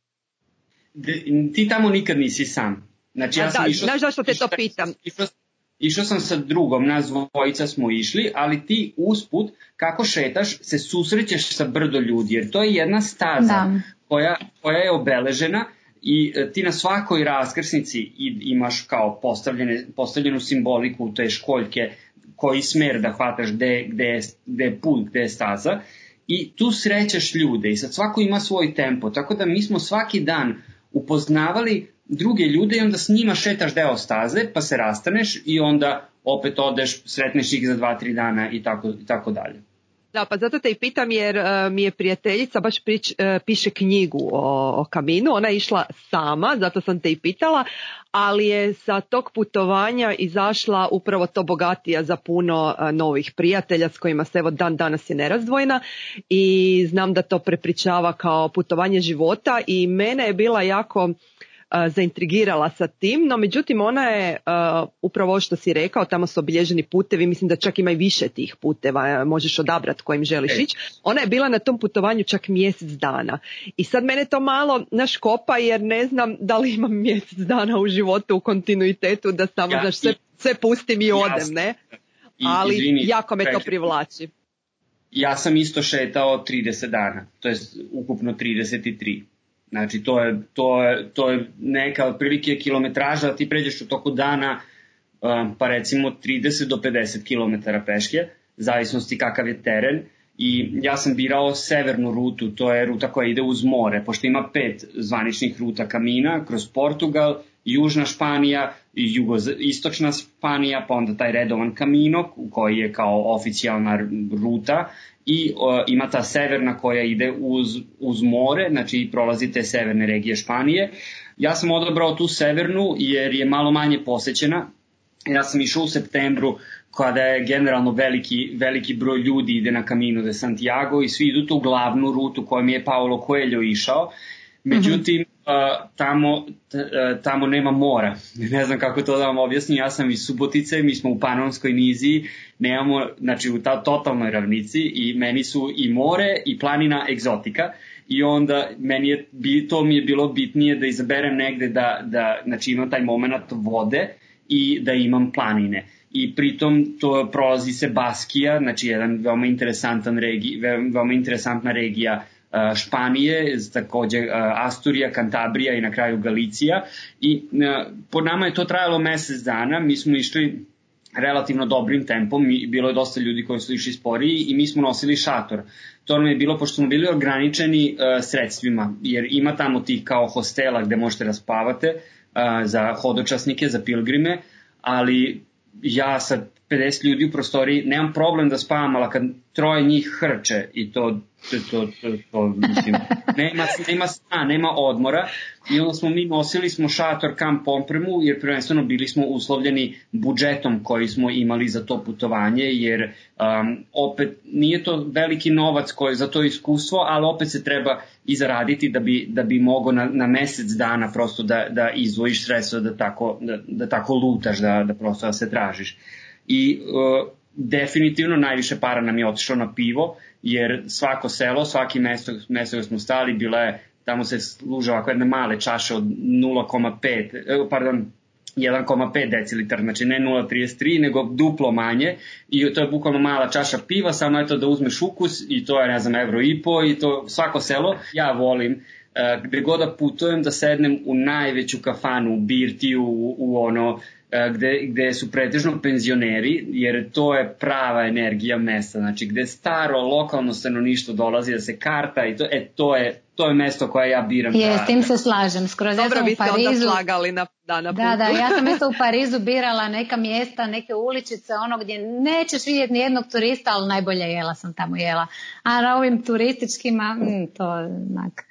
De, ti tamo nikad nisi sam. Znači, ja sam da, išao, znaš zašto te to pitam? Išao, išao sam sa drugom, nas dvojica smo išli, ali ti usput, kako šetaš, se susrećeš sa brdo ljudi, jer to je jedna staza koja, koja je obeležena. I ti na svakoj raskrsnici imaš kao postavljene, postavljenu simboliku te školjke, koji smer da hvataš, gde, gde, je, gde je put, gde je staza. I tu srećaš ljude i sad svako ima svoj tempo. Tako da mi smo svaki dan upoznavali druge ljude i onda s njima šetaš deo staze, pa se rastaneš i onda opet odeš, sretneš ih za dva, tri dana i tako, i tako dalje. Da, pa zato te i pitam jer uh, mi je prijateljica baš prič, uh, piše knjigu o, o Caminu, ona je išla sama, zato sam te i pitala, ali je sa tog putovanja izašla upravo to bogatija za puno uh, novih prijatelja s kojima se evo dan danas je nerazdvojna i znam da to prepričava kao putovanje života i mene je bila jako zaintrigirala sa tim, no međutim ona je uh, upravo što si rekao, tamo su obilježeni putevi, mislim da čak ima i više tih puteva, možeš odabrati kojim želiš ići. Ona je bila na tom putovanju čak mjesec dana i sad mene to malo naškopa jer ne znam da li imam mjesec dana u životu u kontinuitetu da samo ja, znaš, sve, sve pustim i odem, ne? I, ali izvini, jako me pređe. to privlači. Ja sam isto šetao trideset dana, to je ukupno trideset tri. Znači to je, to je, to je neka otprilike kilometraža, ti pređeš u toku dana um, pa recimo trideset do pedeset kilometara peške, zavisnosti kakav je teren. I ja sam birao severnu rutu, to je ruta koja ide uz more, pošto ima pet zvaničnih ruta Kamina, kroz Portugal, južna Španija, jugoistočna Španija, pa onda taj redovan Camino koji je kao oficijalna ruta i o, ima ta severna koja ide uz, uz more, znači prolazi te severne regije Španije. Ja sam odabrao tu severnu jer je malo manje posećena. Ja sam išao u septembru kada je generalno veliki, veliki broj ljudi ide na Camino de Santiago i svi idu tu glavnu rutu kojom je Paulo Coelho išao. Međutim, uh, tamo, t, uh, tamo nema mora. Ne znam kako to da vam objasnim. Ja sam iz Subotice, mi smo u Panonskoj niziji, nemamo, znači u ta totalnoj ravnici i meni su i more i planina egzotika. I onda meni je, to mi je bilo bitnije da izaberem negde da, da znači imam taj moment vode i da imam planine. I pritom to prolazi se Baskija, znači jedan veoma interesantan regi, veoma interesantna regija uh, Španije, takođe uh, Asturija, Kantabrija i na kraju Galicija. I uh, po nama je to trajalo mesec dana, mi smo išli relativno dobrim tempom, i bilo je dosta ljudi koji su išli sporiji i mi smo nosili šator. To nam je bilo, pošto smo bili ograničeni uh, sredstvima, jer ima tamo tih kao hostela gde možete da spavate uh, za hodočasnike, za pilgrime, ali ja sa pedeset ljudi u prostoriji nemam problem da spavam, ali kad troje njih hrče i to, to, to, to, to mislim, nema, nema sna, nema odmora i onda smo mi nosili smo šator, kamp opremu jer prvenstveno bili smo uslovljeni budžetom koji smo imali za to putovanje jer um, opet nije to veliki novac koji za to iskustvo, ali opet se treba i zaraditi da bi, da bi mogo na, na mesec dana prosto da, da izvojiš sredstva da tako, da, da tako lutaš, da, da prosto da se tražiš. I uh, definitivno najviše para nam je otišlo na pivo, jer svako selo, svaki mesto, mesto gde smo stali, bila je, tamo se služe ovako jedne male čaše od nula zarez pet, pardon, jedan zarez pet decilitara, znači ne nula zarez trideset tri, nego duplo manje i to je bukvalno mala čaša piva, samo je to da uzmeš ukus i to je, ne znam, evro i po i to svako selo. Ja volim uh, gde god da putujem da sednem u najveću kafanu, u birtiju, u, u ono, Gde, gde su pretežno penzioneri, jer to je prava energija mesta, znači gde staro lokalno stanovništvo dolazi da se karta i to, e, to, je, to je mesto koje ja biram. Je, da, s tim se slažem. Skroz dobro, vi ste Parizu, onda slagali na, da, na putu. Da, da, ja sam isto u Parizu birala neka mjesta, neke uličice, ono gdje nećeš vidjeti ni jednog turista, ali najbolje jela sam tamo jela. A na ovim turističkima, mm, to onak...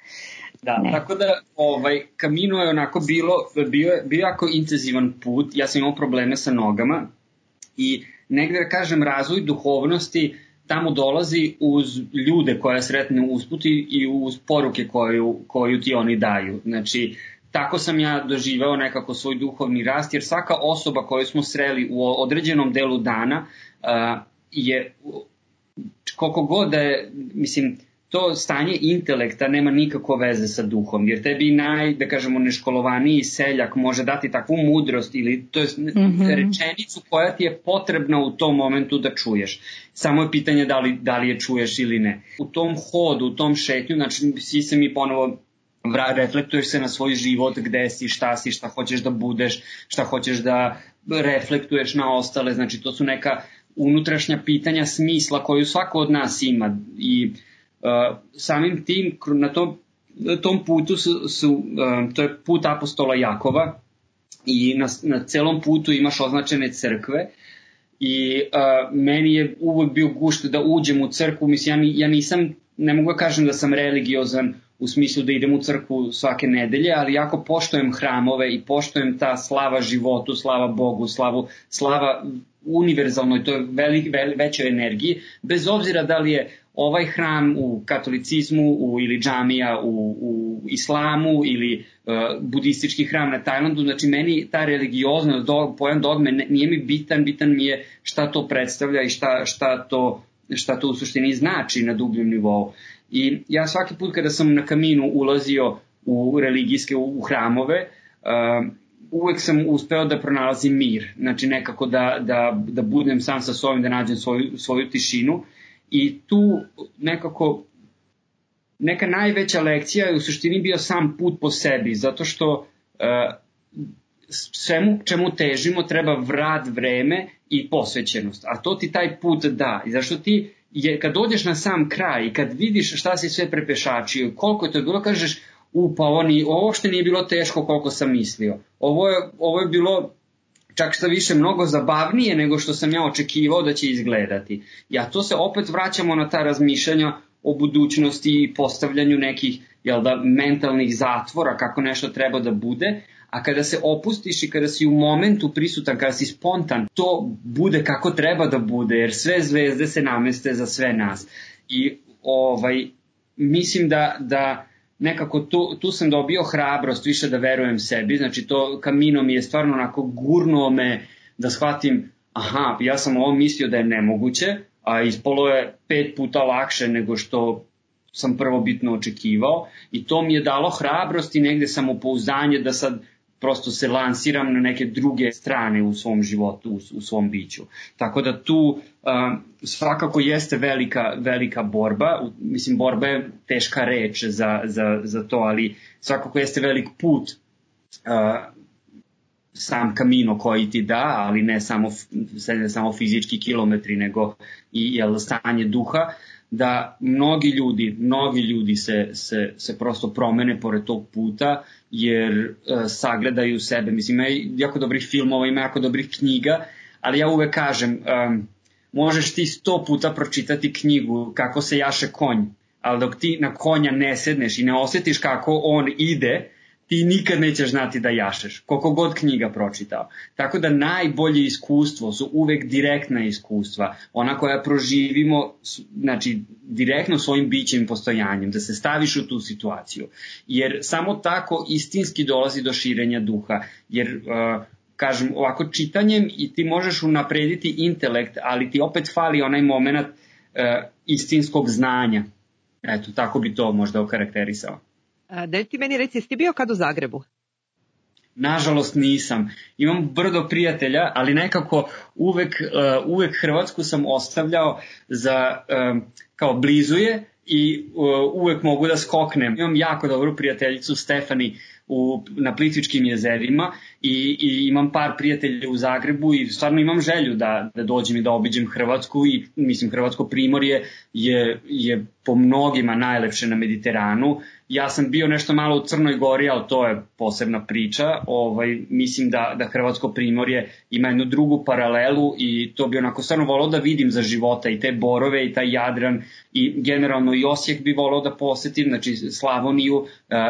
Da, ne. Tako da ovaj, Camino je onako bilo, bio, bio jako intenzivan put, ja sam imao probleme sa nogama i negde da kažem razvoj duhovnosti tamo dolazi uz ljude koje sretne usput i uz poruke koju, koju ti oni daju. Znači, tako sam ja doživao nekako svoj duhovni rast, jer svaka osoba koju smo sreli u određenom delu dana uh, je, koliko god da je, mislim, to stanje intelekta nema nikakve veze sa duhom, jer tebi naj, da kažemo, neškolovaniji seljak može dati takvu mudrost ili to je mm-hmm. rečenicu koja ti je potrebna u tom momentu da čuješ. Samo je pitanje da li, da li je čuješ ili ne. U tom hodu, u tom šetnju, znači svi se mi ponovo reflektuješ se na svoj život, gde si, šta si, šta hoćeš da budeš, šta hoćeš da reflektuješ na ostale, znači to su neka unutrašnja pitanja smisla koju svako od nas ima i Uh, samim tim na tom, na tom putu su, su uh, to je put apostola Jakova i na, na celom putu imaš označene crkve i uh, meni je uvek bio gušt da uđem u crkvu, mislim ja, ja nisam, ne mogu da kažem da sam religiozan u smislu da idem u crkvu svake nedelje, ali jako poštujem hramove i poštujem ta slava životu, slava Bogu, slavu, slava univerzalnoj, to je velik, ve, većoj energiji, bez obzira da li je ovaj hram u katolicizmu u, ili džamija u, u islamu ili budistički hram na Tajlandu, znači meni ta religioznost, do, pojam dogme nije mi bitan, bitan mi je šta to predstavlja i šta, šta, to, šta to u suštini znači na dubljem nivou. I ja svaki put kada sam na Kaminu ulazio u religijske, u hramove, uh, uvek sam uspeo da pronalazim mir, znači nekako da, da, da budem sam sa sobom, da nađem svoju, svoju tišinu i tu nekako neka najveća lekcija je u suštini bio sam put po sebi, zato što uh, svemu čemu težimo treba vrat, vreme i posvećenost, a to ti taj put da, i zašto ti je, kad dođeš na sam kraj i kad vidiš šta si sve prepešačio, koliko je to bilo, kažeš, u, pa ovo, ni, ovo uopšte nije bilo teško koliko sam mislio. Ovo je, ovo je bilo čak što više mnogo zabavnije nego što sam ja očekivao da će izgledati. Ja to se opet vraćamo na ta razmišljanja o budućnosti i postavljanju nekih, jel da, mentalnih zatvora, kako nešto treba da bude, a kada se opustiš i kada si u momentu prisutan, kada si spontan, to bude kako treba da bude, jer sve zvezde se nameste za sve nas. I ovaj, mislim da, da nekako tu, tu sam dobio hrabrost više da verujem sebi, znači to Kamino mi je stvarno onako gurnuo me da shvatim, aha, ja sam ovo mislio da je nemoguće, a ispolo je pet puta lakše nego što sam prvobitno očekivao i to mi je dalo hrabrost i negde samopouzdanje da sad prosto se lansiram na neke druge strane u svom životu, u, u svom biću. Tako da tu uh, svakako jeste velika, velika borba, mislim borba je teška reč za, za, za to, ali svakako jeste velik put uh, sam Kamino koji ti da, ali ne samo, ne samo fizički kilometri, nego i jel, stanje duha, da mnogi ljudi, mnogi ljudi se, se, se prosto promene pored tog puta, jer uh, sagledaju sebe. Mislim, ima jako dobrih filmova, ima jako dobrih knjiga, ali ja uvek kažem, um, možeš ti sto puta pročitati knjigu kako se jaše konj, ali dok ti na konja ne sedneš i ne osjetiš kako on ide, ti nikad nećeš znati da jašeš, koliko god knjiga pročitao. Tako da najbolje iskustvo su uvek direktna iskustva, ona koja proživimo, znači direktno svojim bićem i postojanjem, da se staviš u tu situaciju. Jer samo tako istinski dolazi do širenja duha, jer uh, kažem ovako čitanjem i ti možeš unaprediti intelekt, ali ti opet fali onaj moment uh, istinskog znanja. Eto, tako bi to možda okarakterisao. Da ti meni reci, jesi ti bio kad u Zagrebu? Nažalost nisam. Imam brdo prijatelja, ali nekako uvek, uh, uvek Hrvatsku sam ostavljao za, um, kao blizu je i uh, uvek mogu da skoknem. Imam jako dobru prijateljicu Stefani u, na Plitvičkim jezerima i, i imam par prijatelja u Zagrebu i stvarno imam želju da, da dođem i da obiđem Hrvatsku i mislim Hrvatsko primorje je, je po mnogima najlepše na Mediteranu. Ja sam bio nešto malo u Crnoj Gori, ali to je posebna priča. Ovaj, mislim da, da Hrvatsko primorje ima jednu drugu paralelu i to bi onako stvarno volao da vidim za života i te borove i taj Jadran i generalno i Osijek bi volao da posetim, znači Slavoniju uh,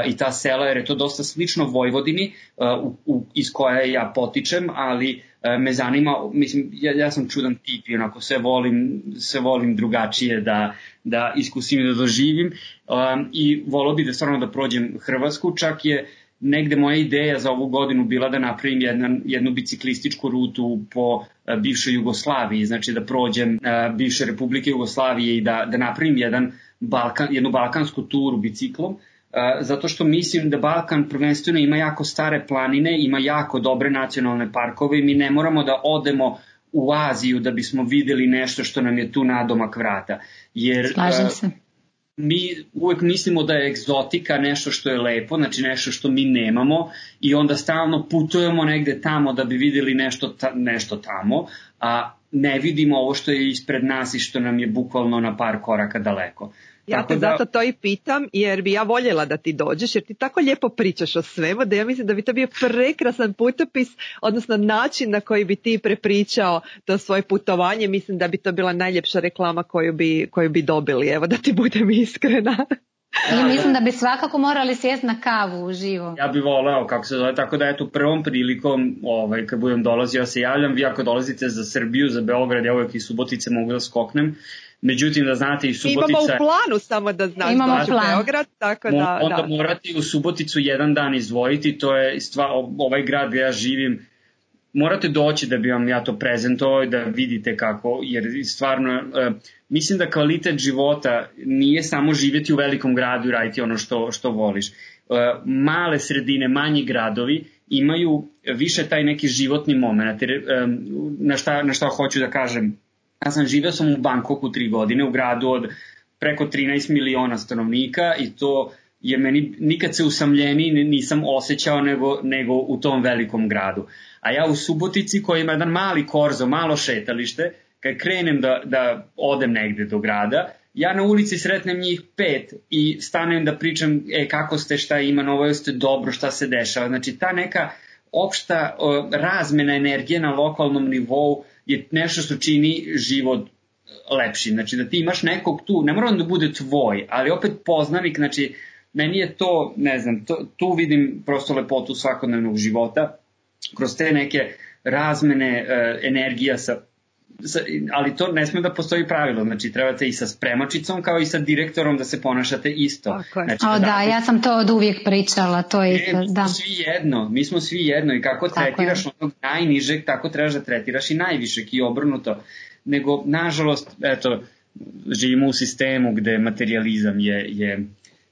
i ta sela, jer je to dosta slično Vojvodini uh, u, u, iz koje ja potičem, ali uh, me zanima, mislim, ja, ja sam čudan tip i onako sve volim, sve volim drugačije da, da iskusim i da doživim um, i volao bi da stvarno da prođem Hrvatsku, čak je negde moja ideja za ovu godinu bila da napravim jedna, jednu biciklističku rutu po uh, bivšoj Jugoslaviji, znači da prođem uh, bivše Republike Jugoslavije i da, da napravim jedan Balkan, jednu balkansku turu biciklom, uh, zato što mislim da Balkan prvenstveno ima jako stare planine, ima jako dobre nacionalne parkove i mi ne moramo da odemo u Aziju da bismo videli nešto što nam je tu nadomak vrata. Jer, Slažem se. Mi uvek mislimo da je egzotika nešto što je lepo, znači nešto što mi nemamo i onda stalno putujemo negde tamo da bi videli nešto, ta, nešto tamo, a ne vidimo ovo što je ispred nas i što nam je bukvalno na par koraka daleko. Ja tako te da... zato to i pitam, jer bi ja voljela da ti dođeš, jer ti tako lijepo pričaš o svemu, da ja mislim da bi to bio prekrasan putopis, odnosno način na koji bi ti prepričao to svoje putovanje. Mislim da bi to bila najljepša reklama koju bi, koju bi dobili, evo da ti budem iskrena. I mislim da bi svakako morali sjesti na kavu uživo. Ja bih voleo, kako se zove, tako da eto prvom prilikom, ovaj, kad budem dolazio, ja se javljam, vi ako dolazite za Srbiju, za Beograd, ja uvek iz Subotice mogu da skoknem, Međutim, da znate, i Subotica... Imamo u planu, samo da znaš, doći u Beograd, tako da... Onda da. morate u Suboticu jedan dan izdvojiti, to je stvar, ovaj grad gde ja živim, morate doći da bi vam ja to prezentovao i da vidite kako, jer stvarno, uh, mislim da kvalitet života nije samo živjeti u velikom gradu i raditi ono što, što voliš. Uh, male sredine, manji gradovi imaju više taj neki životni moment. Jer, um, na, šta, na šta hoću da kažem, ja sam živeo sam u Bangkoku tri godine, u gradu od preko trinaest miliona stanovnika i to je meni nikad se usamljeni nisam osjećao nego, nego u tom velikom gradu. A ja u Subotici koji ima jedan mali korzo, malo šetalište, kad krenem da, da odem negde do grada, ja na ulici sretnem njih pet i stanem da pričam e, kako ste, šta ima novo, jeste dobro, šta se dešava. Znači ta neka opšta o, razmena energije na lokalnom nivou je nešto što čini život lepši. Znači da ti imaš nekog tu, ne mora da bude tvoj, ali opet poznanik, znači meni je to, ne znam, to, tu vidim prosto lepotu svakodnevnog života, kroz te neke razmene e, energija sa, sa, ali to ne sme da postoji pravilo, znači trebate i sa spremačicom kao i sa direktorom da se ponašate isto. Znači, o, da, da, ja sam to od uvijek pričala, to je e, da. Mi smo svi jedno, mi smo svi jedno i kako tako tretiraš je. Onog najnižeg, tako trebaš da tretiraš i najvišeg i obrnuto. Nego, nažalost, eto, živimo u sistemu gde materializam je, je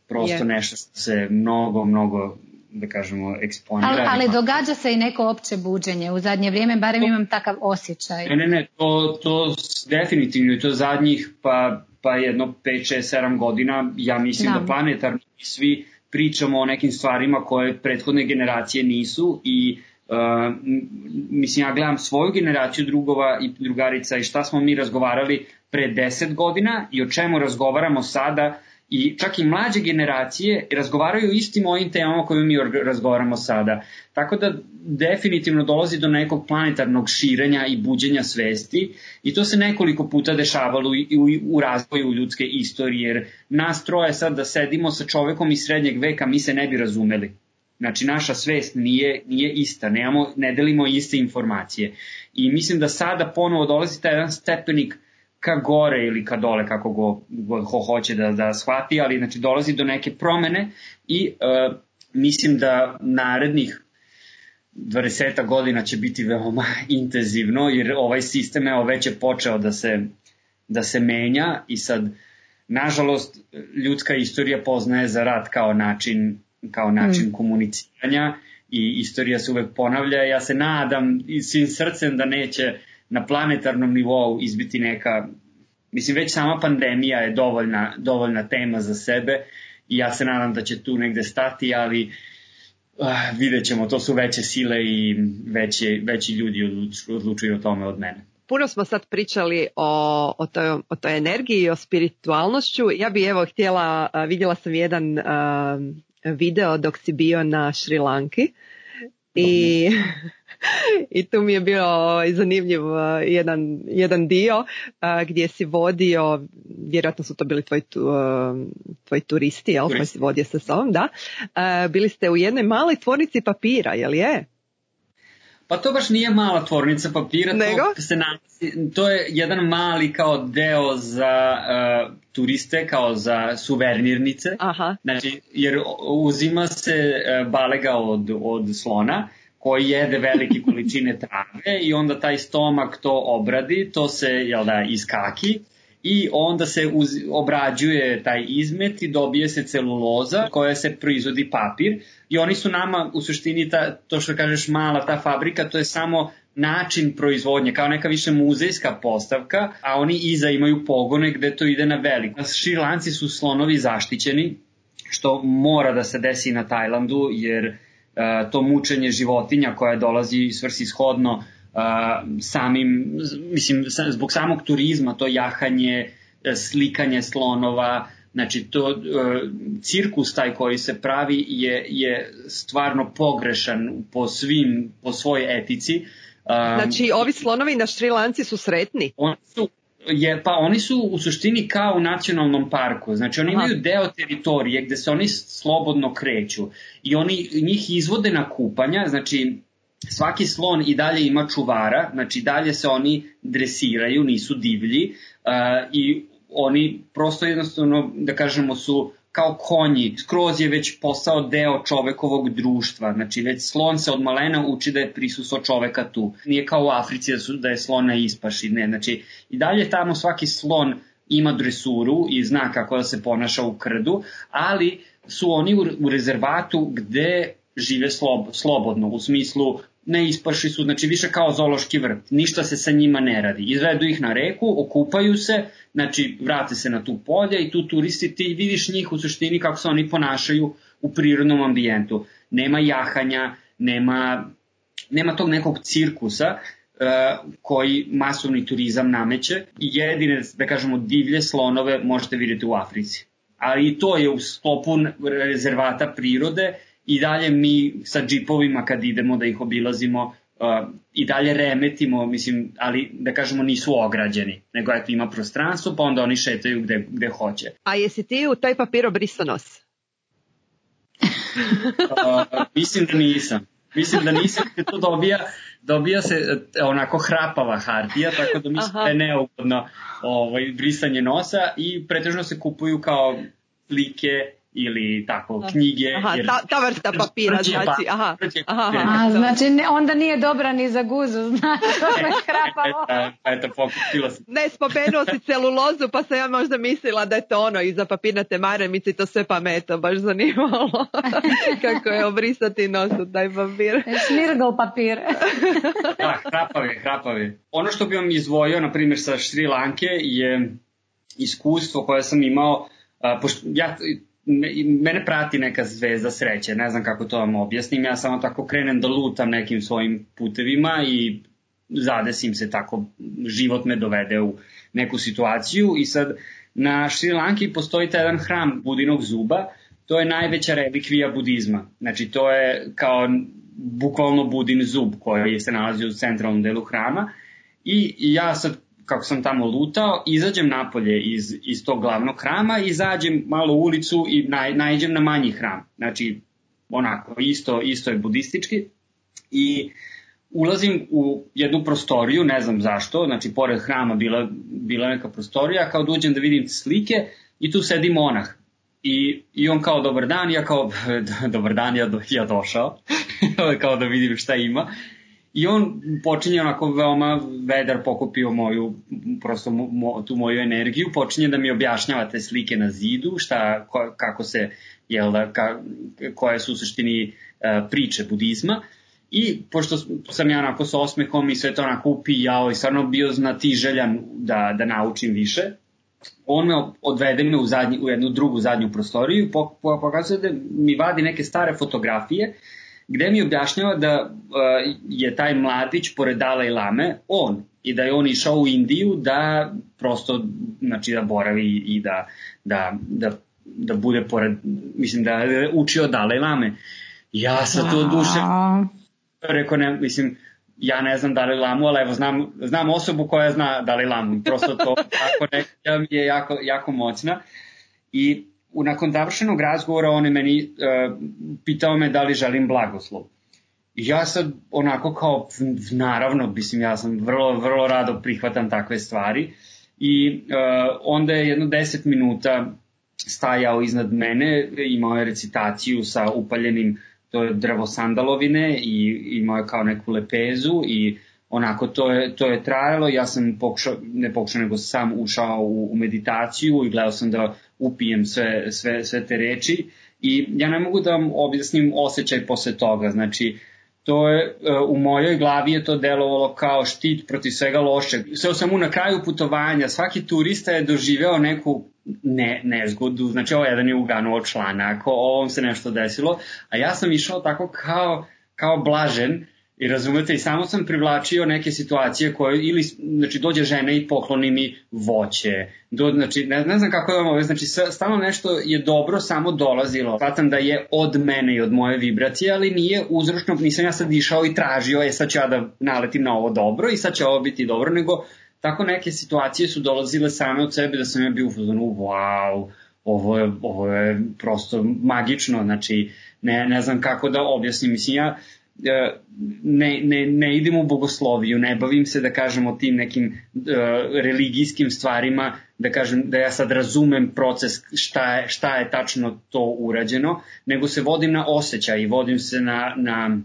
prosto je. Nešto što se mnogo, mnogo da kažemo, eksponira. Ali, ali događa se i neko opće buđenje u zadnje vrijeme, barem imam takav osjećaj. Ne, ne, ne, to, to definitivno je to zadnjih pa, pa jedno pet, šest, sedam godina, ja mislim da, da planetarno svi pričamo o nekim stvarima koje prethodne generacije nisu i uh, mislim ja gledam svoju generaciju drugova i drugarica i šta smo mi razgovarali pre deset godina i o čemu razgovaramo sada. I čak i mlađe generacije razgovaraju istim ovim temama koje mi razgovaramo sada. Tako da definitivno dolazi do nekog planetarnog širenja i buđenja svesti i to se nekoliko puta dešavalo i u, u razvoju ljudske istorije, jer nas troje sad da sedimo sa čovekom iz srednjeg veka mi se ne bi razumeli. Znači naša svest nije, nije ista, nemamo, ne delimo iste informacije. I mislim da sada ponovo dolazi taj jedan stepenik ka gore ili ka dole, kako go, go ho hoće da, da shvati, ali znači dolazi do neke promene i uh, mislim da narednih dvadeset godina će biti veoma intenzivno, jer ovaj sistem evo već je počeo da se, da se menja i sad, nažalost, ljudska istorija poznaje za rat kao način, kao način mm. komuniciranja i istorija se uvek ponavlja. Ja se nadam i svim srcem da neće na planetarnom nivou izbiti neka, mislim već sama pandemija je dovoljna, dovoljna tema za sebe i ja se nadam da će tu negde stati, ali uh, vidjet ćemo, to su veće sile i veće, veći ljudi odlučuju, odlučuju o tome od mene. Puno smo sad pričali o, o, toj, o toj energiji i o spiritualnošću. Ja bi evo htjela, vidjela sam jedan uh, video dok si bio na Šri Lanki i... I tu mi je bio zanimljiv jedan, jedan dio gdje si vodio, vjerojatno su to bili tvoji, tu, tvoji turisti, jel, koji si vodio sa sobom, da. Bili ste u jednoj maloj tvornici papira, jel je? Pa to baš nije mala tvornica papira, to, se nalazi, to je jedan mali kao deo za uh, turiste, kao za suvenirnice. Aha. Znači, jer uzima se uh, balega od, od slona, koji jede velike količine trave i onda taj stomak to obradi, to se jel da, iskaki i onda se uz, obrađuje taj izmet i dobije se celuloza koja se proizvodi papir i oni su nama u suštini ta, to što kažeš mala ta fabrika, to je samo način proizvodnje, kao neka više muzejska postavka, a oni iza imaju pogone gde to ide na veliko. Šrilanci su slonovi zaštićeni, što mora da se desi na Tajlandu, jer Uh, to mučenje životinja koja dolazi svrsishodno uh, samim, mislim, zbog samog turizma, to jahanje, slikanje slonova, znači to uh, cirkus taj koji se pravi je, je stvarno pogrešan po svim, po svojoj etici. Um, znači ovi slonovi na Šri Lanci su sretni? Oni su Je, pa oni su u suštini kao u nacionalnom parku, znači oni imaju deo teritorije gde se oni slobodno kreću i oni njih izvode na kupanja, znači svaki slon i dalje ima čuvara, znači dalje se oni dresiraju, nisu divlji uh, i oni prosto jednostavno, da kažemo, su kao konji, skroz je već postao deo čovekovog društva, znači već slon se od malena uči da je prisustvo čoveka tu. Nije kao u Africi da, su, da je slon na ispaši, ne, znači i dalje tamo svaki slon ima dresuru i zna kako da se ponaša u krdu, ali su oni u, u rezervatu gde žive slob, slobodno, u smislu ne ispaši su, znači više kao zoološki vrt, ništa se sa njima ne radi. Izvedu ih na reku, okupaju se, znači vrate se na tu polje i tu turisti, ti vidiš njih u suštini kako se oni ponašaju u prirodnom ambijentu. Nema jahanja, nema, nema tog nekog cirkusa uh, koji masovni turizam nameće i jedine, da kažemo, divlje slonove možete vidjeti u Africi. Ali i to je u sklopu rezervata prirode. I dalje mi sa džipovima kad idemo da ih obilazimo uh, i dalje remetimo, mislim, ali da kažemo nisu ograđeni, nego eto ima prostranstvo pa onda oni šetaju gde, gde hoće. A jesi ti u taj papir obrisao nos? uh, mislim da nisam. Mislim da nisam, jer to dobija, dobija se onako hrapava hartija, tako da mislim da je neugodno ovaj, brisanje nosa i pretežno se kupuju kao slike ili tako, knjige. Aha, jer... ta, ta vrsta papira, znači, aha. aha, aha. A, znači, ne, onda nije dobra ni za guzu, znači, to je hrapavo. Eto, eto, pokupila sam. Ne, spomenuo si celulozu, pa sam ja možda mislila da je to ono, iza papirnate maramice i to sve pa me to baš zanimalo. Kako je obrisati nos u taj papir. Šmirgl papir. Da, hrapavi, hrapavi. Ono što bi vam izdvojio, na primjer, sa Šri Lanke je iskustvo koje sam imao, a, pošto ja... Mene prati neka zvezda sreće, ne znam kako to vam objasnim, ja samo tako krenem da lutam nekim svojim putevima i zadesim se tako, život me dovede u neku situaciju i sad na Šri Lanki postoji taj jedan hram Budinog zuba, to je najveća relikvija budizma, znači to je kao bukvalno Budin zub koji se nalazi u centralnom delu hrama i, i ja sad kako sam tamo lutao, izađem napolje iz, iz tog glavnog hrama, izađem malo u ulicu i naj, naiđem na manji hram. Znači, onako, isto, isto je budistički. I ulazim u jednu prostoriju, ne znam zašto, znači, pored hrama bila, bila neka prostorija, kao da uđem da vidim slike i tu sedi monah. I, i on kao, dobar dan, ja kao, dobar dan, ja, do, ja došao, kao da vidim šta ima. I on počinje onako veoma vedar, pokupio moju, prosto mo, tu moju energiju, počinje da mi objašnjava te slike na zidu, šta, ko, kako se, jel da, ka, koje su u suštini uh, priče budizma. I pošto sam ja onako sa osmehom i sve to onako upijao i stvarno bio znatiželjan da, da naučim više, on me odvede me u, zadnji, u jednu drugu zadnju prostoriju i pokazuje da mi vadi neke stare fotografije gde mi objašnjava da uh, je taj mladić pored Dalaj Lame on i da je on išao u Indiju da prosto, znači da boravi i da, da, da, da bude pored, mislim da je učio Dalaj Lame. Ja sam to duše rekao, ne, mislim, ja ne znam Dalaj Lamu, ali evo znam, znam osobu koja zna Dalaj Lamu, prosto to tako nekada mi je jako, jako moćna i nakon završenog razgovora on je meni uh, pitao me da li želim blagoslov. I ja sad onako kao, naravno, mislim, ja sam vrlo, vrlo rado prihvatam takve stvari. I uh, onda je jedno deset minuta stajao iznad mene, imao je recitaciju sa upaljenim, to je drvo sandalovine i imao je kao neku lepezu i onako to je, to je trajalo. Ja sam pokušao, ne pokušao, nego sam ušao u, u meditaciju i gledao sam da upijem sve, sve, sve te reči i ja ne mogu da vam objasnim osjećaj posle toga, znači to je, u mojoj glavi je to delovalo kao štit protiv svega lošeg. Sve sam u na kraju putovanja, svaki turista je doživeo neku ne, nezgodu, znači ovo jedan je uganuo članak, ovom se nešto desilo, a ja sam išao tako kao, kao blažen. I razumete, i samo sam privlačio neke situacije koje, ili, znači, dođe žena i pokloni mi voće, do, znači, ne, ne znam kako je vam ovo, znači, stalno nešto je dobro samo dolazilo, shvatam da je od mene i od moje vibracije, ali nije uzročno, nisam ja sad išao i tražio, e sad ću ja da naletim na ovo dobro i sad će ovo biti dobro, nego tako neke situacije su dolazile same od sebe da sam ja bio u fazonu, wow, ovo je, ovo je prosto magično, znači, ne, ne znam kako da objasnim, mislim, ja ne, ne, ne idem u bogosloviju, ne bavim se, da kažemo, tim nekim uh, religijskim stvarima, da kažem da ja sad razumem proces šta je, šta je tačno to urađeno, nego se vodim na osjećaj i vodim se na, na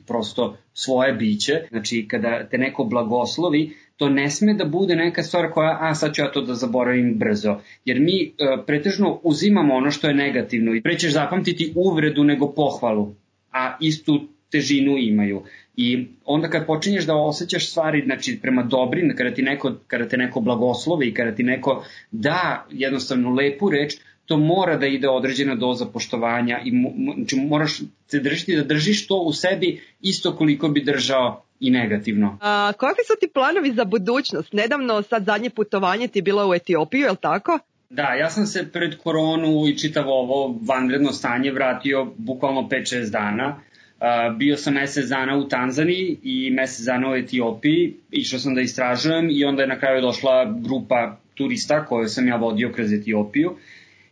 prosto svoje biće. Znači, kada te neko blagoslovi, to ne sme da bude neka stvar koja, a sad ću ja to da zaboravim brzo. Jer mi uh, pretežno uzimamo ono što je negativno i pre ćeš zapamtiti uvredu nego pohvalu, a istu težinu imaju. I onda kad počinješ da osjećaš stvari, znači prema dobrim, kada ti neko, kada te neko blagoslovi i kada ti neko da jednostavno lepu reč, to mora da ide određena doza poštovanja i znači moraš se držiti da držiš to u sebi isto koliko bi držao i negativno. A, kakvi su ti planovi za budućnost? Nedavno sad zadnje putovanje ti je bilo u Etiopiju, je li tako? Da, ja sam se pred koronu i čitavo ovo vanredno stanje vratio bukvalno pet šest dana. Uh, bio sam mesec dana u Tanzaniji i mesec dana u Etiopiji, išao sam da istražujem i onda je na kraju došla grupa turista koju sam ja vodio kroz Etiopiju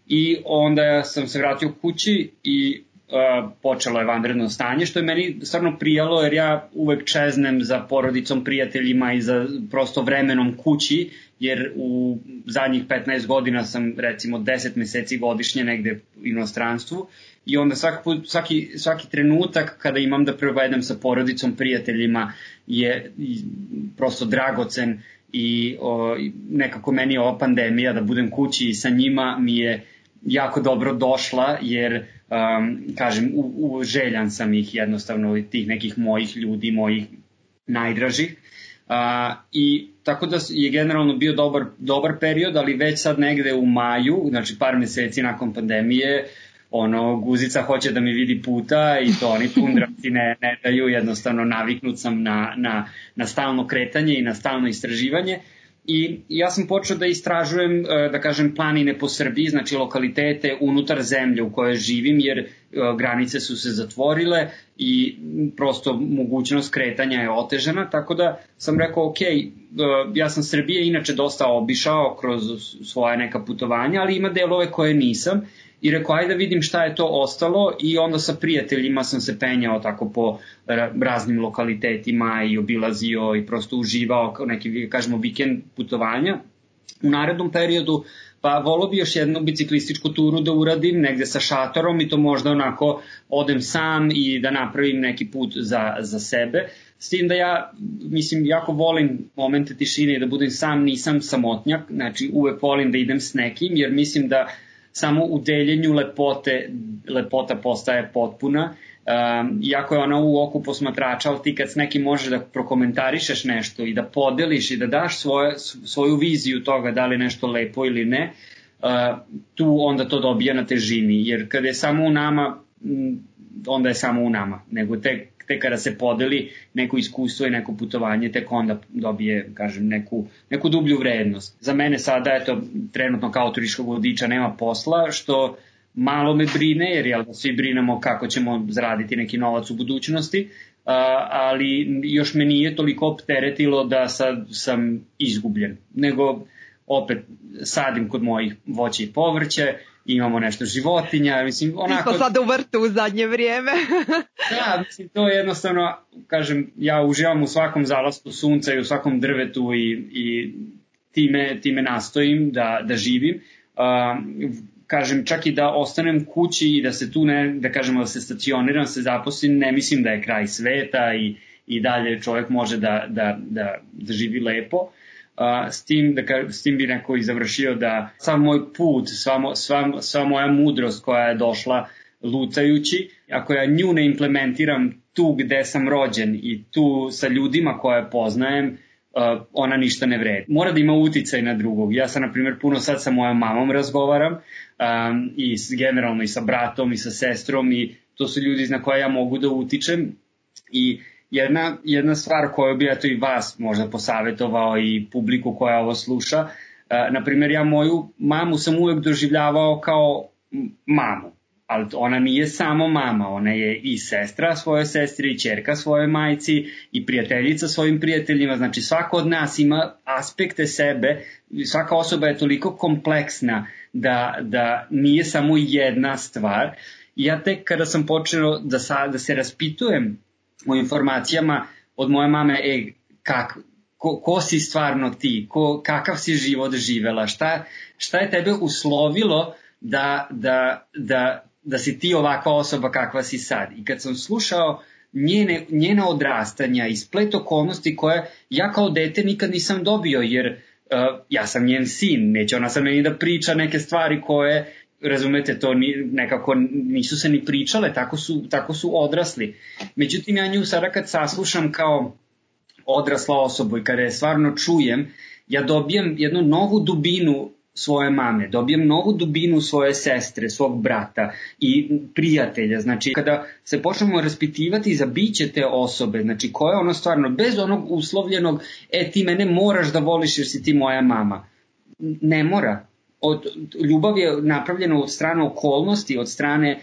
i onda sam se vratio kući i uh, počelo je vanredno stanje, što je meni stvarno prijalo jer ja uvek čeznem za porodicom, prijateljima i za prosto vremenom kući, jer u zadnjih petnaest godina sam recimo deset meseci godišnje negde u inostranstvu i onda svaki, put, svaki, svaki trenutak kada imam da provedem sa porodicom, prijateljima je prosto dragocen i o, nekako meni ova pandemija da budem kući i sa njima mi je jako dobro došla jer um, kažem u, u željan sam ih jednostavno tih nekih mojih ljudi, mojih najdražih. Uh, i tako da je generalno bio dobar, dobar period, ali već sad negde u maju, znači par meseci nakon pandemije, ono, guzica hoće da mi vidi puta i to oni pundravci ne, ne daju, jednostavno naviknut sam na, na, na stalno kretanje i na stalno istraživanje. I ja sam počeo da istražujem, da kažem, planine po Srbiji, znači lokalitete unutar zemlje u kojoj živim, jer granice su se zatvorile i prosto mogućnost kretanja je otežana, tako da sam rekao, ok, ja sam Srbije inače dosta obišao kroz svoje neka putovanja, ali ima delove koje nisam. I rekao, ajde da vidim šta je to ostalo i onda sa prijateljima sam se penjao tako po raznim lokalitetima i obilazio i prosto uživao kao neki, kažemo, vikend putovanja. U narednom periodu pa volio bi još jednu biciklističku turu da uradim negde sa šatorom i to možda onako odem sam i da napravim neki put za, za sebe. S tim da ja, mislim, jako volim momente tišine i da budem sam, nisam samotnjak, znači uvek volim da idem s nekim jer mislim da samo u deljenju lepote, lepota postaje potpuna. Um, iako je ona u oku posmatrača, ali ti kad s nekim možeš da prokomentarišeš nešto i da podeliš i da daš svoje, svoju viziju toga da li nešto lepo ili ne, uh, tu onda to dobija na težini. Jer kada je samo u nama, onda je samo u nama. Nego tek, tek kada se podeli neko iskustvo i neko putovanje, tek onda dobije, kažem, neku, neku dublju vrednost. Za mene sada, eto, trenutno kao turističkog vodiča nema posla, što malo me brine, jer jel, svi brinemo kako ćemo zaraditi neki novac u budućnosti, a, ali još me nije toliko opteretilo da sad sam izgubljen. Nego opet sadim kod mojih voća i povrće, imamo nešto životinja, mislim, onako... Mi smo sad u vrtu u zadnje vrijeme. Da, mislim, to je jednostavno, kažem, ja uživam u svakom zalasku sunca i u svakom drvetu i, i time, time nastojim da, da živim. Uh, kažem, čak i da ostanem kući i da se tu ne, da kažemo da se stacioniram, se zaposlim, ne mislim da je kraj sveta i, i dalje čovjek može da, da, da, da živi lepo. Uh, s, tim, da, s tim bi neko i završio da sav moj put, sva, sva, sva moja mudrost koja je došla lutajući, ako ja nju ne implementiram tu gde sam rođen i tu sa ljudima koje poznajem, uh, ona ništa ne vredi. Mora da ima uticaj na drugog. Ja sam, na primjer, puno sad sa mojom mamom razgovaram um, i s, generalno i sa bratom i sa sestrom i to su ljudi na koje ja mogu da utičem i Jedna, jedna stvar koju bi eto i vas možda posavetovao i publiku koja ovo sluša, uh, na primjer ja moju mamu sam uvek doživljavao kao mamu, ali ona nije samo mama, ona je i sestra svoje sestri, i ćerka svoje majci, i prijateljica svojim prijateljima, znači svako od nas ima aspekte sebe, svaka osoba je toliko kompleksna da, da nije samo jedna stvar. I ja tek kada sam počeo da, sa, da se raspitujem o informacijama od moje mame, e, kak, ko, ko si stvarno ti, ko, kakav si život živela, šta, šta je tebe uslovilo da, da, da, da si ti ovakva osoba kakva si sad. I kad sam slušao njene, njene odrastanja i splet okolnosti koje ja kao dete nikad nisam dobio, jer uh, ja sam njen sin, neće ona sad meni da priča neke stvari koje, razumete, to ni, nekako nisu se ni pričale, tako su, tako su odrasli. Međutim, ja nju sada kad saslušam kao odrasla osoba i kada je stvarno čujem, ja dobijem jednu novu dubinu svoje mame, dobijem novu dubinu svoje sestre, svog brata i prijatelja. Znači, kada se počnemo raspitivati za biće te osobe, znači ko je ono stvarno, bez onog uslovljenog, e ti mene moraš da voliš jer si ti moja mama. Ne mora. Od, ljubav je napravljena od strane okolnosti, od strane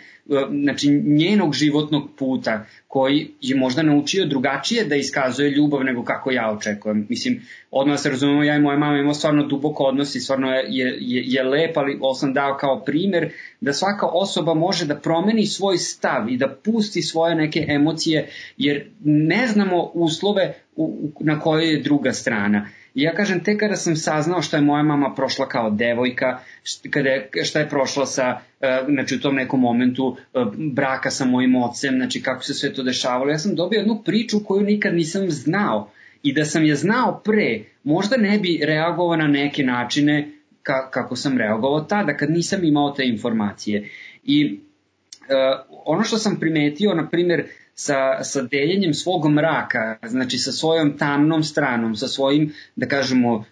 znači, njenog životnog puta, koji je možda naučio drugačije da iskazuje ljubav nego kako ja očekujem. Mislim, odmah se razumemo, ja i moja mama imamo stvarno dubok odnos i stvarno je, je, je lep, ali ovo sam dao kao primer da svaka osoba može da promeni svoj stav i da pusti svoje neke emocije, jer ne znamo uslove u, na kojoj je druga strana. I ja kažem, tek kada sam saznao šta je moja mama prošla kao devojka, šta je, šta je prošla sa, znači u tom nekom momentu braka sa mojim ocem, znači kako se sve to dešavalo, ja sam dobio jednu priču koju nikad nisam znao. I da sam je znao pre, možda ne bi reagovao na neke načine ka, kako sam reagovao tada, kad nisam imao te informacije. I uh, ono što sam primetio, na primjer, sa, sa deljenjem svog mraka, znači sa svojom tamnom stranom, sa svojim, da kažemo, uh,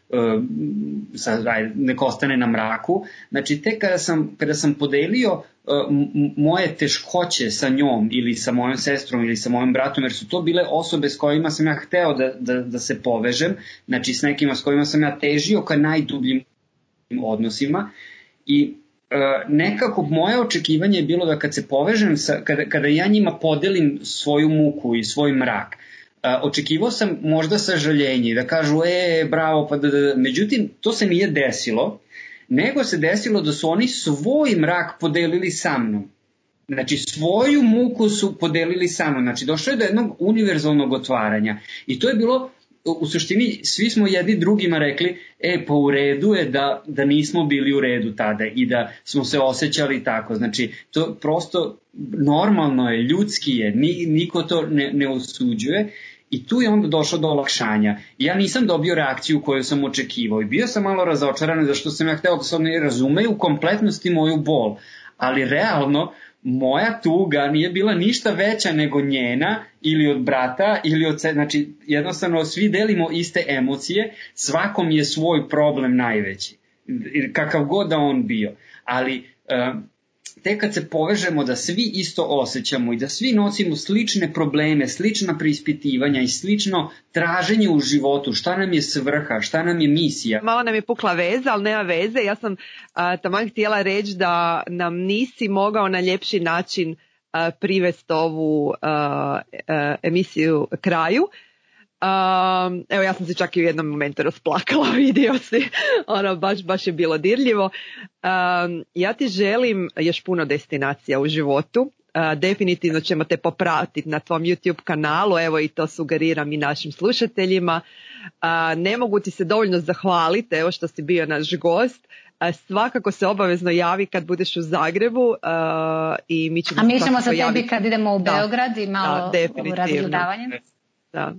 sa, aj, nek ostane na mraku, znači tek kada sam, kada sam podelio uh, m- moje teškoće sa njom ili sa mojom sestrom ili sa mojim bratom, jer su to bile osobe s kojima sam ja hteo da, da, da se povežem, znači s nekima s kojima sam ja težio ka najdubljim odnosima i Uh, nekako moje očekivanje je bilo da kad se povežem, sa, kada, kada ja njima podelim svoju muku i svoj mrak, uh, očekivao sam možda sažaljenje, da kažu, e, bravo, pa da, da, da. Međutim, to se nije desilo, nego se desilo da su oni svoj mrak podelili sa mnom. Znači, svoju muku su podelili sa mnom. Znači, došlo je do jednog univerzalnog otvaranja. I to je bilo, u suštini, svi smo jedni drugima rekli, e, pa u redu je da, da nismo bili u redu tada i da smo se osjećali tako. Znači, to prosto normalno je, ljudski je, ni, niko to ne, ne osuđuje i tu je onda došlo do olakšanja. Ja nisam dobio reakciju koju sam očekivao i bio sam malo razočaran zašto sam ja hteo da se oni razumeju u kompletnosti moju bol, ali realno moja tuga nije bila ništa veća nego njena ili od brata ili od, znači jednostavno svi delimo iste emocije, svakom je svoj problem najveći, kakav god da on bio, ali uh, tek kad se povežemo da svi isto osjećamo i da svi nosimo slične probleme, slična preispitivanja i slično traženje u životu, šta nam je svrha, šta nam je misija. Malo nam je pukla veza, ali nema veze. Ja sam a, taman htjela reći da nam nisi mogao na ljepši način a, privesti ovu a, a, emisiju kraju. Um, evo ja sam se čak i u jednom momentu rasplakala, vidio si, ono baš, baš je bilo dirljivo. Um, ja ti želim još puno destinacija u životu, uh, definitivno ćemo te popratiti na tvom YouTube kanalu, evo i to sugeriram i našim slušateljima. Uh, ne mogu ti se dovoljno zahvaliti, evo što si bio naš gost. Uh, svakako se obavezno javi kad budeš u Zagrebu uh, i mi ćemo A mi ćemo se tebi javiti kad idemo u Beograd da, i malo da, u razgledavanje. Da.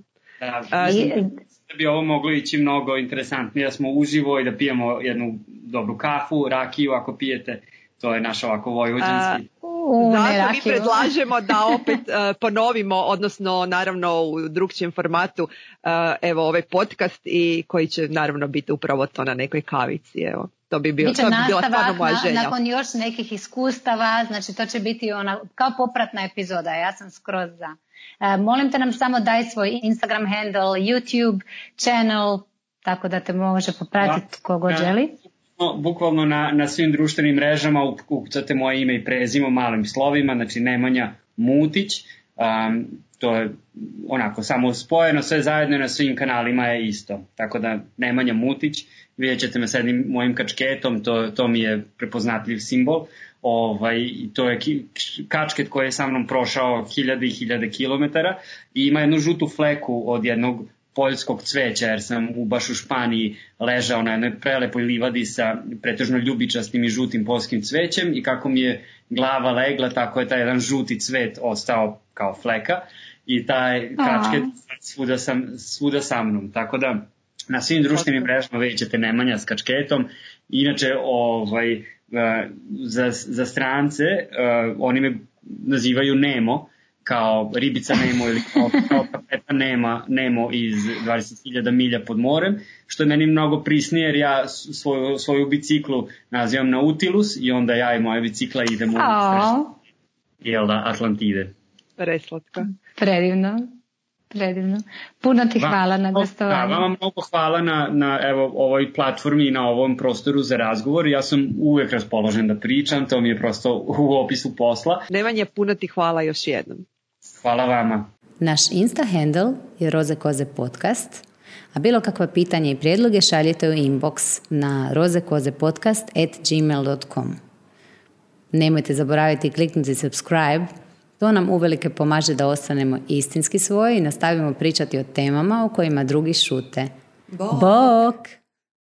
Da, mislim da bi ovo moglo ići mnogo interesantnije, da smo uživo i da pijemo jednu dobru kafu, rakiju ako pijete, to je naš ovako vojvođanski. Uh, Zato mi predlažemo da opet uh, ponovimo, odnosno naravno u drugčijem formatu, uh, evo ovaj podcast i koji će naravno biti upravo to na nekoj kavici, evo. To bi, bio, to bi bila stvarno moja želja. Na, nakon još nekih iskustava, znači to će biti ona, kao popratna epizoda, ja sam skroz za. Uh, molim te nam samo daj svoj Instagram handle, YouTube channel, tako da te može popratiti kogo želi. Bukvalno na, na svim društvenim mrežama ukucate moje ime i prezimo malim slovima, znači Nemanja Mutić. Um, to je onako samo spojeno, sve zajedno na svim kanalima je isto. Tako da Nemanja Mutić, vidjet ćete me s jednim mojim kačketom, to, to mi je prepoznatljiv simbol. Ovaj, to je kačket koji je sa mnom prošao hiljade i hiljade kilometara i ima jednu žutu fleku od jednog poljskog cveća, jer sam u, baš u Španiji ležao na jednoj prelepoj livadi sa pretežno ljubičastim i žutim poljskim cvećem i kako mi je glava legla, tako je taj jedan žuti cvet ostao kao fleka i taj kačket svuda, sam, svuda sa mnom, tako da na svim društvenim mrežama vidjet ćete Nemanja s kačketom. Inače, ovaj, za, za strance oni me nazivaju Nemo, kao ribica Nemo ili kao, kao kapeta Nema, Nemo iz dvadeset hiljada milja pod morem, što je meni mnogo prisnije jer ja svoju, svoju biciklu nazivam Nautilus i onda ja i moja bicikla idemo u jel da, Atlantide. Preslatko. Predivno. Predivno. Puno ti hvala na gostovanju. Da, vama mnogo hvala na, na evo, ovoj platformi i na ovom prostoru za razgovor. Ja sam uvek raspoložen da pričam, to mi je prosto u opisu posla. Nemanja, puno ti hvala još jednom. Hvala vama. Naš Insta handle je Roze Koze podcast, a bilo kakva pitanja i prijedloge šaljite u inbox na rozekozepodcast at gmail dot com. Nemojte zaboraviti kliknuti subscribe. To nam uvelike pomaže da ostanemo istinski svoji i nastavimo pričati o temama o kojima drugi šute. Bok! Bok!